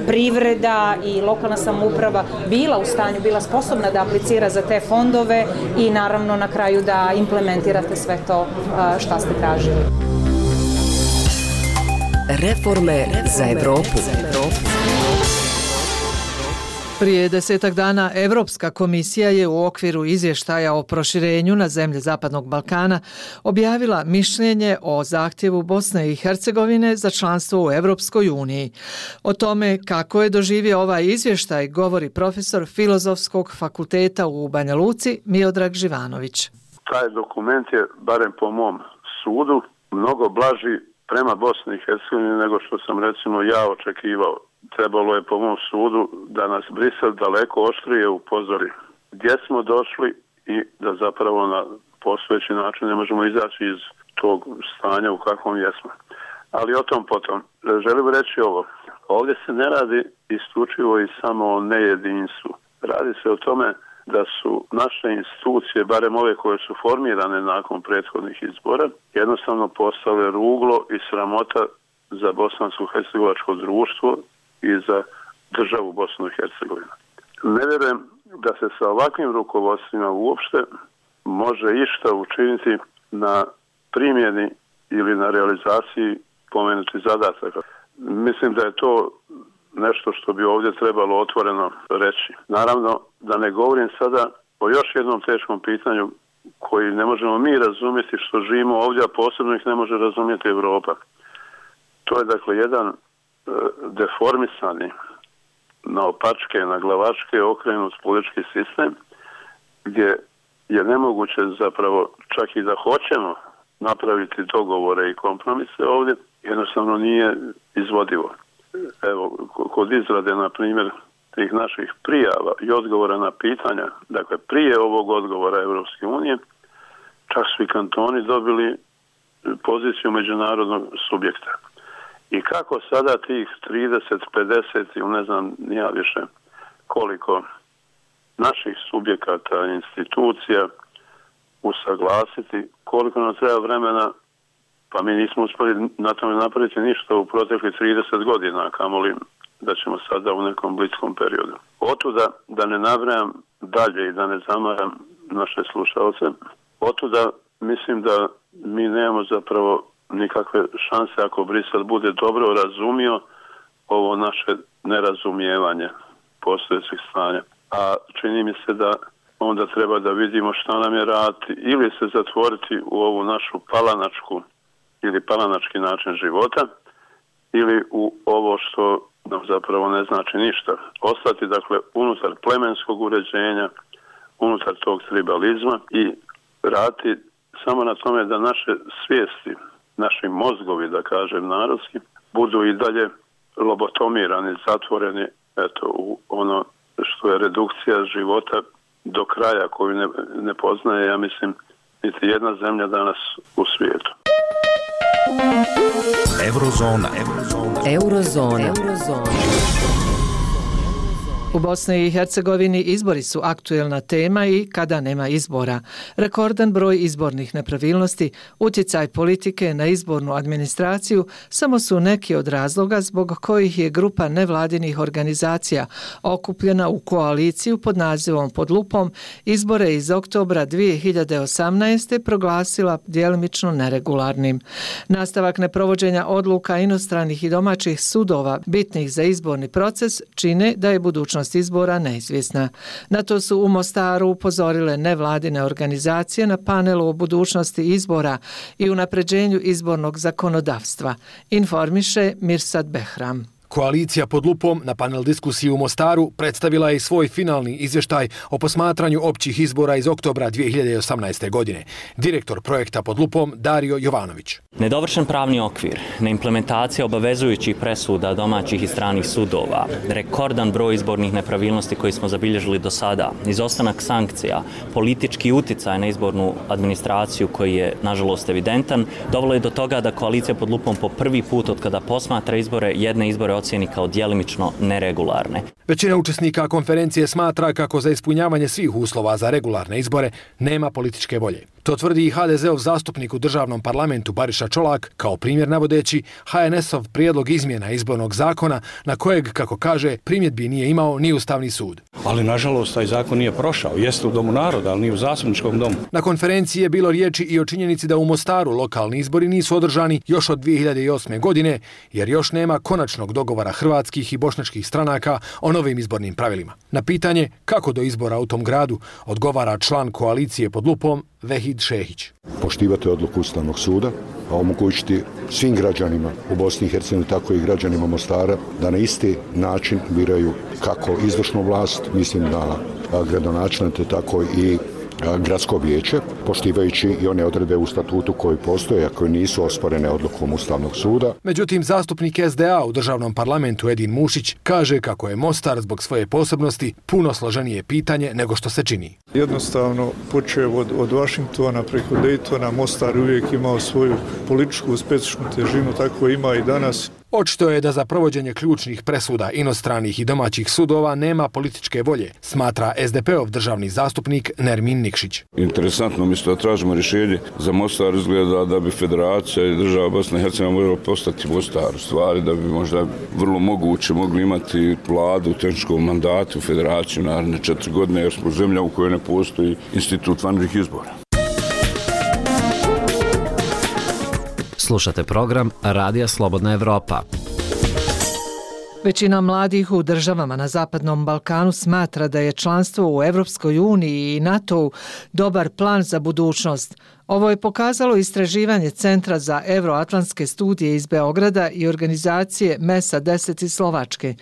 privreda i lokalna samouprava bila u stanju, bila sposobna da aplicira za te fondove i naravno na kraju da implementirate sve to što ste tražili. Reforme za Evropu. Prije 10 dana Evropska komisija je u okviru izvještaja o proširenju na zemlje Zapadnog Balkana objavila mišljenje o zahtjevu Bosne i Hercegovine za članstvo u Evropskoj uniji. O tome kako je doživio ovaj izvještaj govori profesor Filozofskog fakulteta u Banja Luci Miodrag Živanović. Taj dokument je, barem po mom sudu, mnogo blaži prema Bosni i Hercegovini nego što sam recimo ja očekivao. Trebalo je po mom sudu da nas Brisel daleko oštrije upozori gdje smo došli i da zapravo na postojeći način ne možemo izaći iz tog stanja u kakvom jesmo. Ali o tom potom. Želim reći ovo. Ovdje se ne radi isključivo i samo o nejedinstvu. Radi se o tome da su naše institucije, barem ove koje su formirane nakon prethodnih izbora, jednostavno postale ruglo i sramota za bosansko-hercegovačko društvo i za državu Bosnu i Hercegovinu. Ne vjerujem da se sa ovakvim rukovodstvima uopšte može išta učiniti na primjeni ili na realizaciji pomenutih zadataka. Mislim da je to nešto što bi ovdje trebalo otvoreno reći. Naravno, da ne govorim sada o još jednom teškom pitanju koji ne možemo mi razumjeti što živimo ovdje, a posebno ih ne može razumjeti Evropa. To je dakle jedan deformisani, naopačke, naglavačke okrenut politički sistem gdje je nemoguće zapravo čak i da hoćemo napraviti dogovore i kompromise ovdje, jednostavno nije izvodivo. Evo, kod izrade, na primjer, tih naših prijava i odgovora na pitanja, dakle prije ovog odgovora Evropske unije, čak su i kantoni dobili poziciju međunarodnog subjekta. I kako sada tih 30, 50 ili ne znam nija više koliko naših subjekata, institucija usaglasiti, koliko nam treba vremena, pa mi nismo uspjeli na tome napraviti ništa u proteklih 30 godina, kamoli da ćemo sada u nekom bliskom periodu. Otuda, da ne nabrajam dalje i da ne zamaram naše slušalce, otuda mislim da mi nemamo zapravo nikakve šanse ako Brisel bude dobro razumio ovo naše nerazumijevanje postojećih stanja. A čini mi se da onda treba da vidimo šta nam je raditi ili se zatvoriti u ovu našu palanačku ili palanački način života ili u ovo što nam zapravo ne znači ništa. Ostati dakle unutar plemenskog uređenja, unutar tog tribalizma i raditi samo na tome da naše svijesti, naši mozgovi, da kažem narodski, budu i dalje lobotomirani, zatvoreni u ono što je redukcija života do kraja koju ne poznaje, ja mislim, niti jedna zemlja danas u svijetu. Eurozona. Eurozona. U Bosni i Hercegovini izbori su aktuelna tema i kada nema izbora. Rekordan broj izbornih nepravilnosti, utjecaj politike na izbornu administraciju samo su neki od razloga zbog kojih je grupa nevladinih organizacija okupljena u koaliciju pod nazivom Pod lupom izbore iz oktobra 2018. proglasila djelimično neregularnim. Nastavak neprovođenja odluka inostranih i domaćih sudova bitnih za izborni proces čine da je budućnost izbora neizvjesna. Na to su u Mostaru upozorile nevladine organizacije na panelu o budućnosti izbora i unapređenju izbornog zakonodavstva, informiše Mirsad Behram. Koalicija Pod lupom na panel diskusiji u Mostaru predstavila je i svoj finalni izvještaj o posmatranju općih izbora iz oktobra 2018. godine. Direktor projekta Pod lupom Dario Jovanović. Nedovršen pravni okvir, neimplementacija obavezujućih presuda domaćih i stranih sudova, rekordan broj izbornih nepravilnosti koji smo zabilježili do sada, izostanak sankcija, politički utjecaj na izbornu administraciju koji je nažalost evidentan, dovelo je do toga da koalicija Pod lupom po prvi put od kada posmatra izbore, jedne izbore ocjeni kao djelimično neregularne. Većina učesnika konferencije smatra kako za ispunjavanje svih uslova za regularne izbore nema političke volje. To tvrdi i HDZ-ov zastupnik u državnom parlamentu Bariša Čolak, kao primjer navodeći HNS-ov prijedlog izmjena izbornog zakona na kojeg, kako kaže, primjedbi nije imao ni Ustavni sud. Ali nažalost taj zakon nije prošao. Jeste u Domu naroda, ali nije u Zastupničkom domu. Na konferenciji je bilo riječi i o činjenici da u Mostaru lokalni izbori nisu održani još od 2008. godine, jer još nema konačnog dogovora hrvatskih i bošnjačkih stranaka o novim izbornim pravilima. Na pitanje kako do izbora u tom gradu odgovara član koalicije Pod lupom Vehid Šehić. Poštivati odluku Ustavnog suda, a omogućiti svim građanima u Bosni i Hercegovini, tako i građanima Mostara, da na isti način biraju kako izvršnu vlast, mislim na gradonačelnike, tako i gradsko vijeće, poštivajući i one odredbe u statutu koji postoje, a koje nisu osporene odlukom Ustavnog suda. Međutim, zastupnik SDA u državnom parlamentu Edin Mušić kaže kako je Mostar zbog svoje posebnosti puno složenije pitanje nego što se čini. Jednostavno, počev od Washingtona preko Daytona, Mostar uvijek imao svoju političku specifičnu težinu, tako ima i danas. Očito je da za provođenje ključnih presuda inostranih i domaćih sudova nema političke volje, smatra SDP-ov državni zastupnik Nermin Nikšić. Interesantno, umjesto da tražimo rješenje za Mostar, izgleda da bi federacija i država Bosne i Hercegovine morala postati Mostar, u stvari da bi možda vrlo moguće mogli imati vladu u tehničkom mandatu, federaciju naredne 4 godine, jer smo zemlja u kojoj ne postoji institut vanrednih izbora. Slušate program Radija Slobodna Evropa. Većina mladih u državama na Zapadnom Balkanu smatra da je članstvo u Evropskoj uniji i NATO-u dobar plan za budućnost. Ovo je pokazalo istraživanje Centra za euroatlantske studije iz Beograda i organizacije MESA 10 iz Slovačke.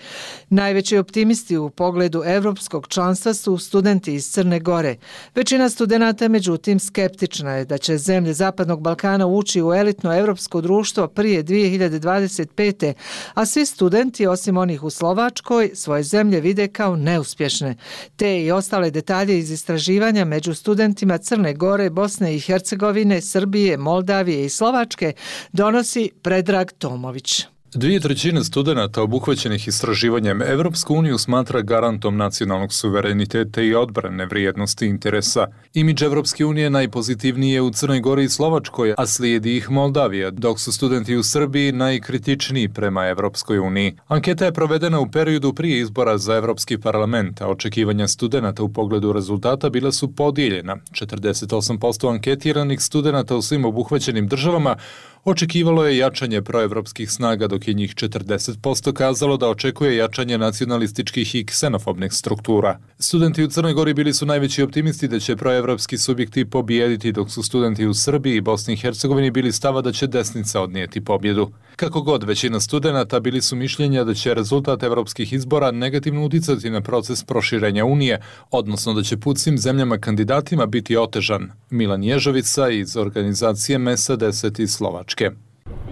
Najveći optimisti u pogledu evropskog članstva su studenti iz Crne Gore. Većina studenata, međutim, skeptična je da će zemlje Zapadnog Balkana ući u elitno evropsko društvo prije 2025. A svi studenti, osim onih u Slovačkoj, svoje zemlje vide kao neuspješne. Te i ostale detalje iz istraživanja među studentima Crne Gore, Bosne i Hercegovine, Srbije, Moldavije i Slovačke donosi Predrag Tomović. 2/3 studenata obuhvaćenih istraživanjem Evropsku uniju smatra garantom nacionalnog suvereniteta i odbrane vrijednosti interesa. Imidž Evropske unije najpozitivniji je u Crnoj Gori i Slovačkoj, a slijedi ih Moldavija, dok su studenti u Srbiji najkritičniji prema Evropskoj uniji. Anketa je provedena u periodu prije izbora za Evropski parlament, a očekivanja studenata u pogledu rezultata bila su podijeljena. 48% anketiranih studenata u svim obuhvaćenim državama očekivalo je jačanje proevropskih snaga, dok je njih 40% kazalo da očekuje jačanje nacionalističkih i ksenofobnih struktura. Studenti u Crnoj Gori bili su najveći optimisti da će proevropski subjekti pobijediti, dok su studenti u Srbiji i Bosni i Hercegovini bili stava da će desnica odnijeti pobjedu. Kako god, većina studenata bili su mišljenja da će rezultat evropskih izbora negativno uticati na proces proširenja Unije, odnosno da će put svim zemljama kandidatima biti otežan. Milan Ježovica iz organizacije MESA 10 iz Slovačke.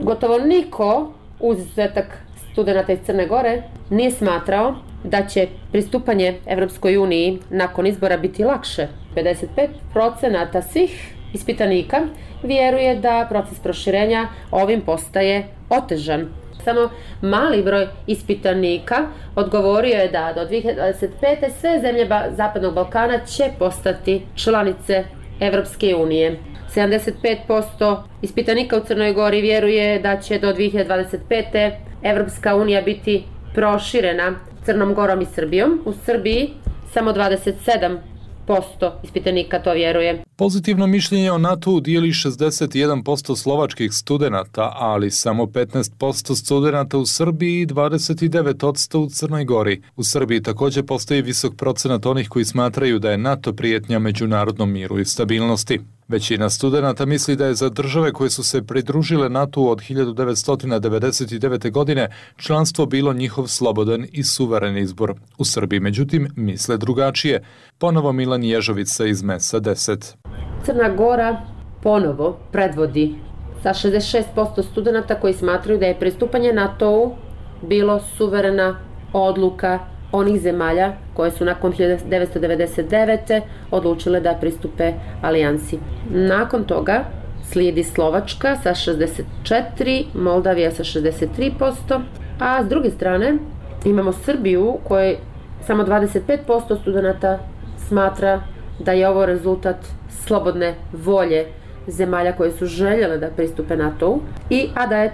Gotovo niko, uz izuzetak studenata iz Crne Gore, nije smatrao da će pristupanje Evropskoj uniji nakon izbora biti lakše. 55% svih ispitanika vjeruje da proces proširenja ovim postaje otežan. Samo mali broj ispitanika odgovorio je da do 2025. sve zemlje Zapadnog Balkana će postati članice Evropske unije. 75% ispitanika u Crnoj Gori vjeruje da će do 2025. Evropska unija biti proširena Crnom Gorom i Srbijom. U Srbiji samo 27% ispitanika to vjeruje. Pozitivno mišljenje o NATO-u dijeli 61% slovačkih studenata, ali samo 15% studenata u Srbiji i 29% u Crnoj Gori. U Srbiji također postoji visok procenat onih koji smatraju da je NATO prijetnja međunarodnom miru i stabilnosti. Većina studenata misli da je za države koje su se pridružile NATO-u od 1999. godine članstvo bilo njihov slobodan i suveren izbor. U Srbiji, međutim, misle drugačije. Ponovo Milan Ježovica iz MES-a 10. Crna Gora ponovo predvodi sa 66% studenata koji smatraju da je pristupanje NATO-u bilo suverena odluka onih zemalja koje su nakon 1999. odlučile da pristupe alijansi. Nakon toga slijedi Slovačka sa 64%, Moldavija sa 63%, a s druge strane imamo Srbiju u kojoj samo 25% studenata smatra da je ovo rezultat slobodne volje zemalja koje su željele da pristupe NATO-u, a da je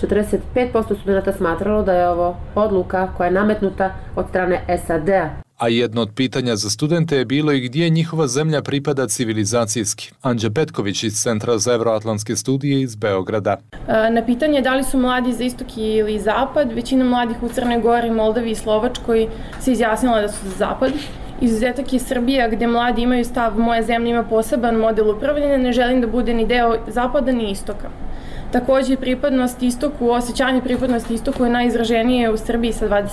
45% studenata smatralo da je ovo odluka koja je nametnuta od strane SAD-a. A jedno od pitanja za studente je bilo i gdje njihova zemlja pripada civilizacijski. Anđa Petković iz Centra za euroatlantske studije iz Beograda. Na pitanje da li su mladi za istok ili zapad, većina mladih u Crnoj Gori, Moldaviji i Slovačkoj se izjasnila da su za zapad. Izuzetak je Srbija gdje mladi imaju stav moja zemlja ima poseban model upravljanja, ne želim da bude ni deo zapada ni istoka. Također pripadnost istoku, osjećanje pripadnosti istoku je najizraženije u Srbiji sa 25%.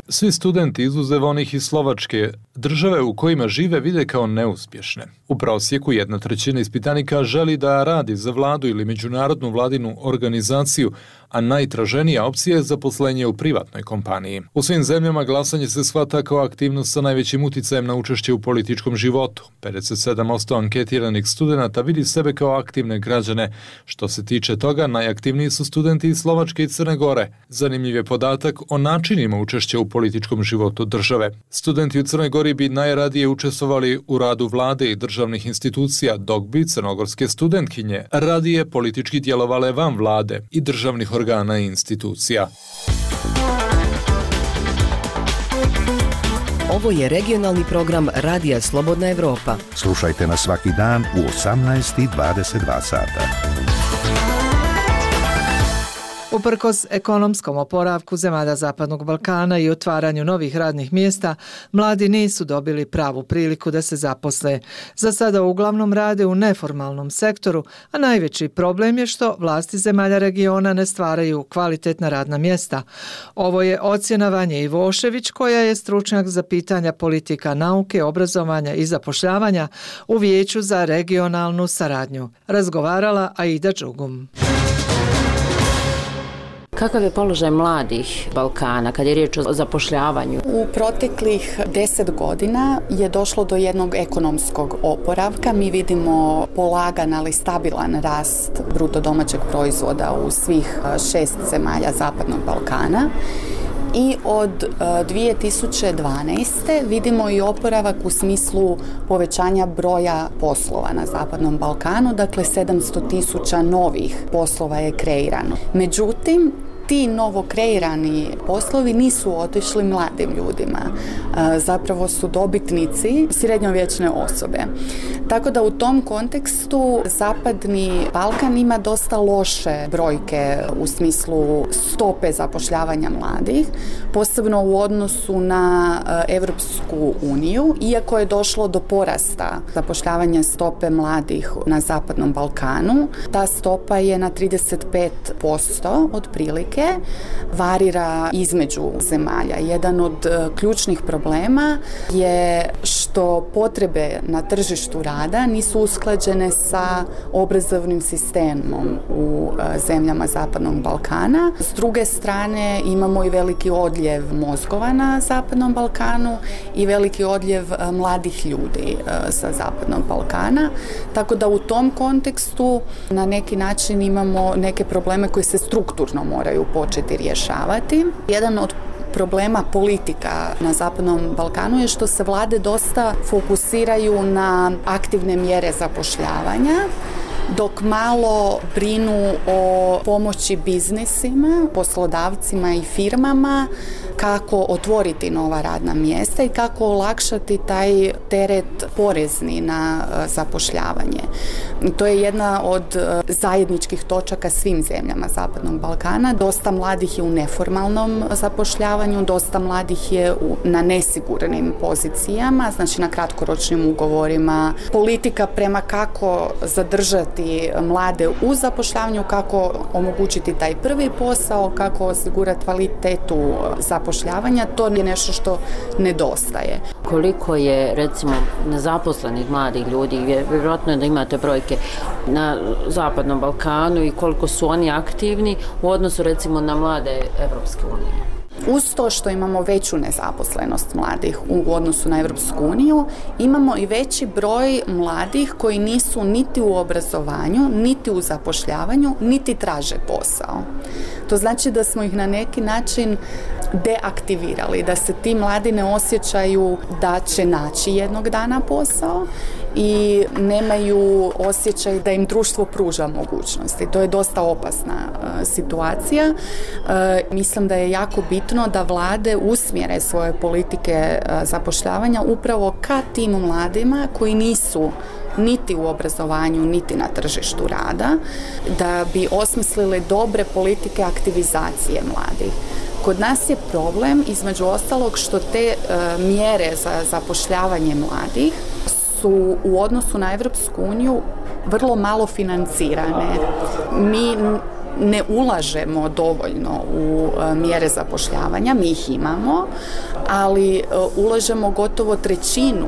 Svi studenti izuzev onih iz Slovačke države u kojima žive vide kao neuspješne. U prosjeku 1/3 ispitanika želi da radi za vladu ili međunarodnu vladinu organizaciju, a najtraženija opcija je zaposlenje u privatnoj kompaniji. U svim zemljama glasanje se shvata kao aktivnost sa najvećim uticajem na učešće u političkom životu. 57% anketiranih studenata vidi sebe kao aktivne građane. Što se tiče toga, najaktivniji su studenti iz Slovačke i Crne Gore. Zanimljiv je podatak o načinima učešća u političkom životu države. Studenti u Crnoj Gori bi najradije učestvovali u radu vlade i državnih institucija, dok bi crnogorske studentkinje radije politički djelovale van vlade i državnih organa i institucija. Ovo je regionalni program Radija Slobodna Evropa. Slušajte nas svaki dan u 18:22 sata. Uprkos ekonomskom oporavku zemalja Zapadnog Balkana i otvaranju novih radnih mjesta, mladi nisu dobili pravu priliku da se zaposle. Za sada uglavnom rade u neformalnom sektoru, a najveći problem je što vlasti zemalja regiona ne stvaraju kvalitetna radna mjesta. Ovo je ocjena Vanje Ivošević, koja je stručnjak za pitanja politika nauke, obrazovanja i zapošljavanja u Vijeću za regionalnu saradnju. Razgovarala Aida Đugum. Kakav je položaj mladih Balkana kad je riječ o zapošljavanju? U proteklih 10 godina je došlo do jednog ekonomskog oporavka. Mi vidimo polagan, ali stabilan rast bruto domaćeg proizvoda u svih 6 zemalja Zapadnog Balkana. I od 2012. vidimo i oporavak u smislu povećanja broja poslova na Zapadnom Balkanu, dakle 700.000 novih poslova je kreirano. Međutim, ti novo kreirani poslovi nisu otišli mladim ljudima. Zapravo su dobitnici srednjovječne osobe. Tako da u tom kontekstu Zapadni Balkan ima dosta loše brojke u smislu stope zapošljavanja mladih, posebno u odnosu na Evropsku uniju, iako je došlo do porasta zapošljavanja stope mladih na Zapadnom Balkanu. Ta stopa je na 35% otprilike, varira između zemalja. Jedan od ključnih problema je što što potrebe na tržištu rada nisu usklađene sa obrazovnim sistemom u zemljama Zapadnog Balkana. S druge strane imamo i veliki odljev mozgova na Zapadnom Balkanu i veliki odljev mladih ljudi sa Zapadnog Balkana. Tako da u tom kontekstu na neki način imamo neke probleme koji se strukturno moraju početi rješavati. Jedan od problema politika na Zapadnom Balkanu je što se vlade dosta fokusiraju na aktivne mjere zapošljavanja, dok malo brinu o pomoći biznisima, poslodavcima i firmama, kako otvoriti nova radna mjesta i kako olakšati taj teret porezni na zapošljavanje. To je jedna od zajedničkih točaka svim zemljama Zapadnog Balkana. Dosta mladih je u neformalnom zapošljavanju, dosta mladih je na nesigurnim pozicijama, znači na kratkoročnim ugovorima. Politika prema kako zadržati mlade u zapošljavanju, kako omogućiti taj prvi posao, kako osigurati kvalitetu zapošljavanja, to je nešto što nedostaje. Koliko je, recimo, nezaposlenih mladih ljudi, vjerojatno je da imate brojke na Zapadnom Balkanu i koliko su oni aktivni u odnosu, recimo, na mlade Evropske unije? Uz to što imamo veću nezaposlenost mladih u odnosu na Europsku uniju, imamo i veći broj mladih koji nisu niti u obrazovanju, niti u zapošljavanju, niti traže posao. To znači da smo ih na neki način deaktivirali, da se ti mladi ne osjećaju da će naći jednog dana posao i nemaju osjećaj da im društvo pruža mogućnosti. To je dosta opasna situacija. Mislim da je jako bitno da vlade usmjere svoje politike zapošljavanja upravo ka tim mladima koji nisu niti u obrazovanju, niti na tržištu rada, da bi osmislili dobre politike aktivizacije mladih. Kod nas je problem, između ostalog, što te mjere za zapošljavanje mladih su u odnosu na Europsku uniju vrlo malo financirane. Mi ne ulažemo dovoljno u mjere zapošljavanja, mi ih imamo, ali ulažemo gotovo trećinu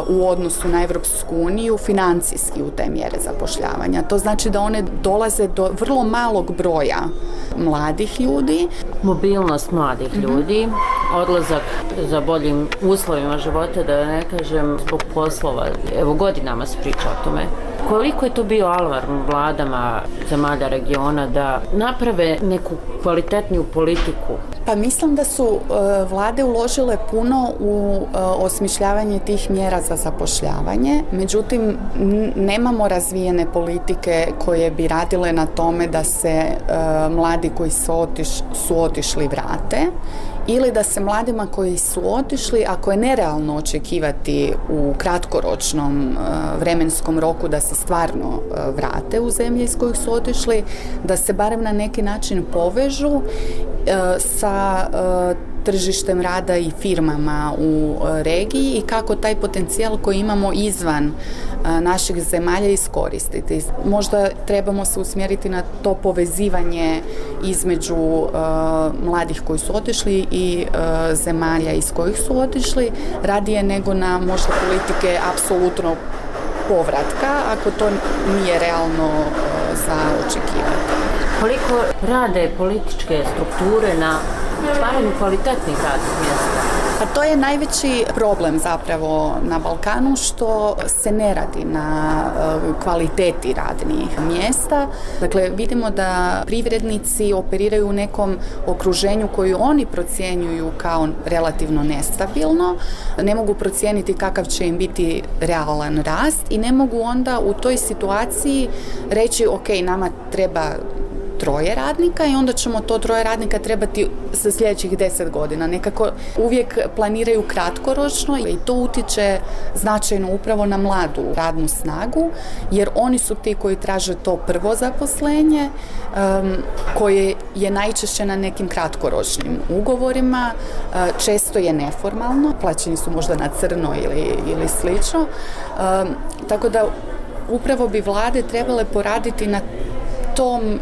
u odnosu na Europsku uniju financijski u te mjere zapošljavanja. To znači da one dolaze do vrlo malog broja mladih ljudi. Mobilnost mladih ljudi, odlazak za boljim uslovima života, da ne kažem zbog poslova, evo godinama se priča o tome. Koliko je to bio alarm vladama zemalja regiona da naprave neku kvalitetniju politiku? Pa mislim da su vlade uložile puno u osmišljavanje tih mjera za zapošljavanje, međutim nemamo razvijene politike koje bi radile na tome da se mladi koji su otišli vrate, ili da se mladima koji su otišli, ako je nerealno očekivati u kratkoročnom vremenskom roku da se stvarno vrate u zemlje iz kojih su otišli, da se barem na neki način povežu sa tržištem rada i firmama u regiji i kako taj potencijal koji imamo izvan naših zemalja iskoristiti. Možda trebamo se usmjeriti na to povezivanje između mladih koji su otišli i zemalja iz kojih su otišli, radije nego na možda politike apsolutno povratka, ako to nije realno za očekivati. Koliko rade političke strukture na stvaranju kvalitetnih radnih mjesta? Pa to je najveći problem zapravo na Balkanu, što se ne radi na kvaliteti radnih mjesta. Dakle, vidimo da privrednici operiraju u nekom okruženju koju oni procjenjuju kao relativno nestabilno, ne mogu procijeniti kakav će im biti realan rast i ne mogu onda u toj situaciji reći ok, nama treba 3 radnika i onda ćemo to 3 radnika trebati za sljedećih 10 godina. Nekako uvijek planiraju kratkoročno i to utječe značajno upravo na mladu radnu snagu, jer oni su ti koji traže to prvo zaposlenje, koje je najčešće na nekim kratkoročnim ugovorima, često je neformalno, plaćeni su možda na crno ili slično. Tako da upravo bi vlade trebale poraditi na tom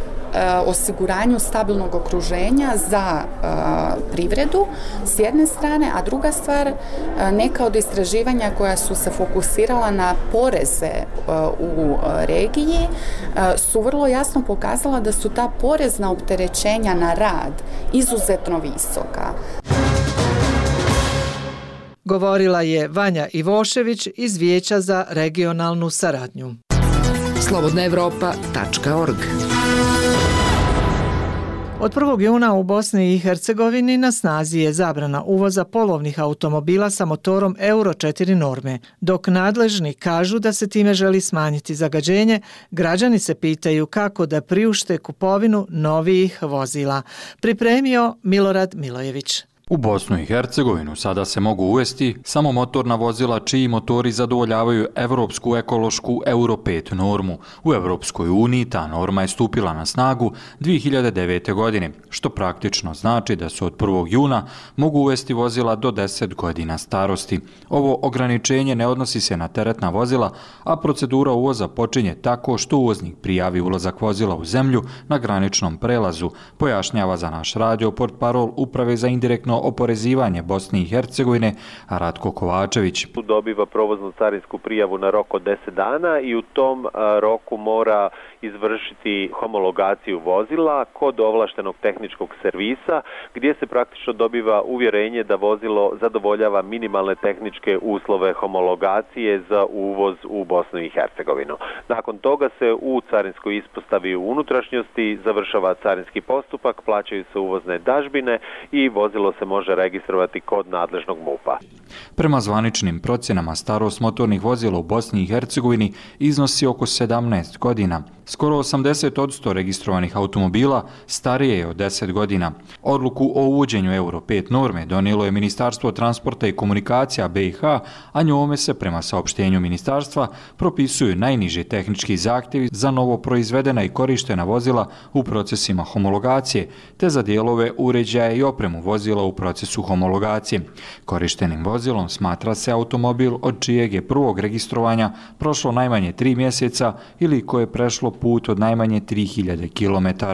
osiguranju stabilnog okruženja za privredu s jedne strane, a druga stvar, neka od istraživanja koja su se fokusirala na poreze u regiji su vrlo jasno pokazala da su ta porezna opterećenja na rad izuzetno visoka. Govorila je Vanja Ivošević iz Vijeća za regionalnu saradnju. Slobodnaevropa.org. Od 1. juna u Bosni i Hercegovini na snazi je zabrana uvoza polovnih automobila sa motorom Euro 4 norme. Dok nadležni kažu da se time želi smanjiti zagađenje, građani se pitaju kako da priušte kupovinu novijih vozila. Pripremio Milorad Milojević. U Bosnu i Hercegovinu sada se mogu uvesti samo motorna vozila čiji motori zadovoljavaju evropsku ekološku Euro 5 normu. U Evropskoj uniji ta norma je stupila na snagu 2009. godine, što praktično znači da se od 1. juna mogu uvesti vozila do 10 godina starosti. Ovo ograničenje ne odnosi se na teretna vozila, a procedura uvoza počinje tako što uvoznik prijavi ulazak vozila u zemlju na graničnom prelazu, pojašnjava za naš radio portparol Uprave za indirektno oporezivanje Bosne i Hercegovine Ratko Kovačević. Dobiva provoznu carinsku prijavu na rok od 10 dana i u tom roku mora izvršiti homologaciju vozila kod ovlaštenog tehničkog servisa gdje se praktično dobiva uvjerenje da vozilo zadovoljava minimalne tehničke uslove homologacije za uvoz u Bosnu i Hercegovinu. Nakon toga se u carinskoj ispostavi u unutrašnjosti završava carinski postupak, plaćaju se uvozne dažbine i vozilo se može registrovati kod nadležnog MUP-a. Prema zvaničnim procjenama starost motornih vozila u Bosni i Hercegovini iznosi oko 17 godina. Skoro 80% registrovanih automobila starije je od 10 godina. Odluku o uvođenju Euro 5 norme donijelo je Ministarstvo transporta i komunikacija BiH, a njome se prema saopštenju ministarstva propisuju najniži tehnički zahtjevi za novo proizvedena i korištena vozila u procesima homologacije, te za dijelove, uređaje i opremu vozila u procesu homologacije. Korištenim vozilom smatra se automobil od čijeg je prvog registrovanja prošlo najmanje 3 mjeseca ili koje je prešlo put od najmanje 3000 km.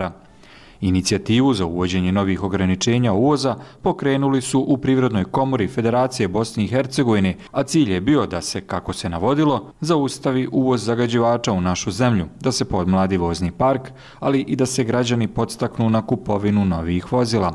Inicijativu za uvođenje novih ograničenja uvoza pokrenuli su u Privrednoj komori Federacije Bosne i Hercegovine, a cilj je bio da se, kako se navodilo, zaustavi uvoz zagađivača u našu zemlju, da se podmladi vozni park, ali i da se građani podstaknu na kupovinu novih vozila.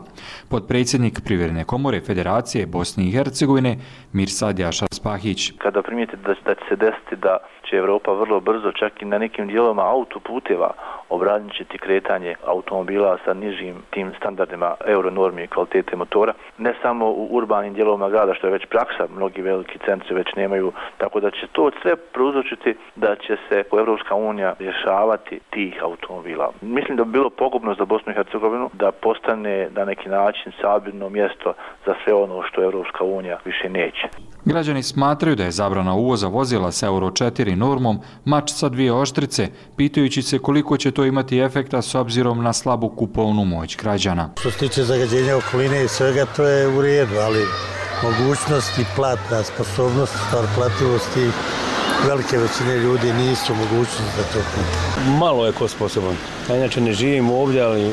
Potpredsjednik Privredne komore Federacije Bosne i Hercegovine Mirsad Jašar Spahić. Kada primijetite da će se desiti da će Evropa vrlo brzo, čak i na nekim dijelovima autoputeva, ograničiti kretanje automobila sa nižim tim standardima euronormi i kvalitete motora, ne samo u urbanim dijelovima grada, što je već praksa, mnogi veliki centri već nemaju, tako da će to sve prouzročiti da će se Evropska unija rješavati tih automobila. Mislim da bi bilo pogubno za Bosnu i Hercegovinu da postane na neki način sabirno mjesto za sve ono što Evropska unija više neće. Građani smatraju da je zabrana uvoza vozila sa Euro 4 normom mač sa dvije oštrice, pitajući se koliko će to imati efekta s obzirom na slabu kupovnu moć građana. Što se tiče zagađenja okoline i svega, to je u redu, ali mogućnost i platna sposobnost, stvar plativosti, velike većine ljudi nisu mogućnosti da to kupi. Malo je ko sposoban. Ja inače ne živim ovdje, ali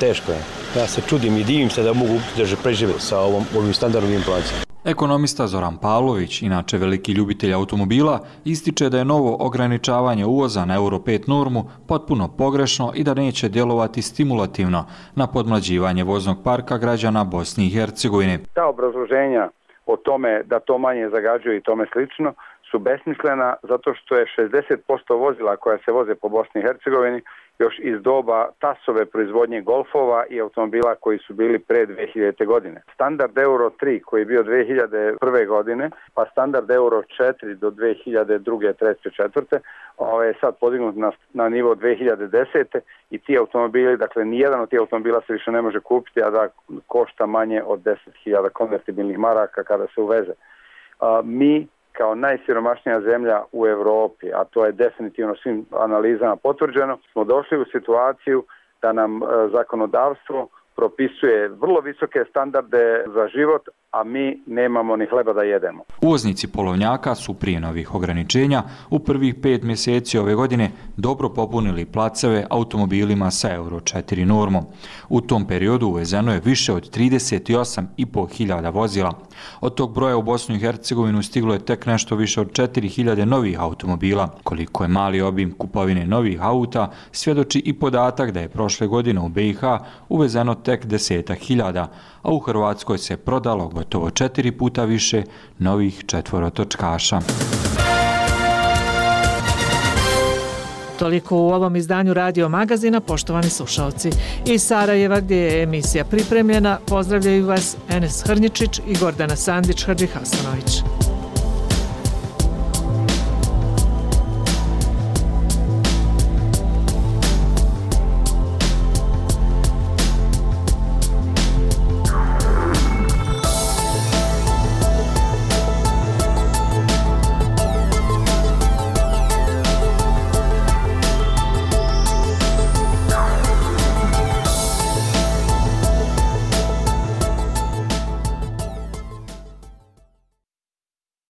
teško je. Ja se čudim i divim se da mogu da prežive sa ovim standardom inflacijom. Ekonomista Zoran Pavlović, inače veliki ljubitelj automobila, ističe da je novo ograničavanje uvoza na Euro 5 normu potpuno pogrešno i da neće djelovati stimulativno na podmlađivanje voznog parka građana Bosne i Hercegovine. Ta obrazloženja o tome da to manje zagađuje i tome slično su besmislena zato što je 60% vozila koja se voze po Bosni i Hercegovini još iz doba TAS-ove proizvodnje golfova i automobila koji su bili pre 2000. godine. Standard Euro 3 koji je bio 2001. godine, pa standard Euro 4 do 2002. 3. 4. je sad podignut na nivo 2010. i ti automobili, dakle nijedan od tih automobila se više ne može kupiti, a da košta manje od 10.000 konvertibilnih maraka kada se uveze. Mi kao najsiromašnija zemlja u Europi, a to je definitivno svim analizama potvrđeno, smo došli u situaciju da nam zakonodavstvo propisuje vrlo visoke standarde za život, a mi nemamo ni hleba da jedemo. Uvoznici polovnjaka su prije novih ograničenja u prvih 5 mjeseci ove godine dobro popunili placeve automobilima sa Euro 4 normom. U tom periodu uvezeno je više od 38.500 vozila. Od tog broja u Bosnu i Hercegovinu stiglo je tek nešto više od 4.000 novih automobila. Koliko je mali obim kupovine novih auta, svjedoči i podatak da je prošle godine u BiH uvezeno tek 10.000, a u Hrvatskoj se prodalo gotovo 4 puta više novih četvorotočkaša. Toliko u ovom izdanju Radio Magazina, poštovani slušalci. Iz Sarajeva, gdje je emisija pripremljena, pozdravljaju vas Enes Hrnjičić i Gordana Sandić-Hrđihasanović.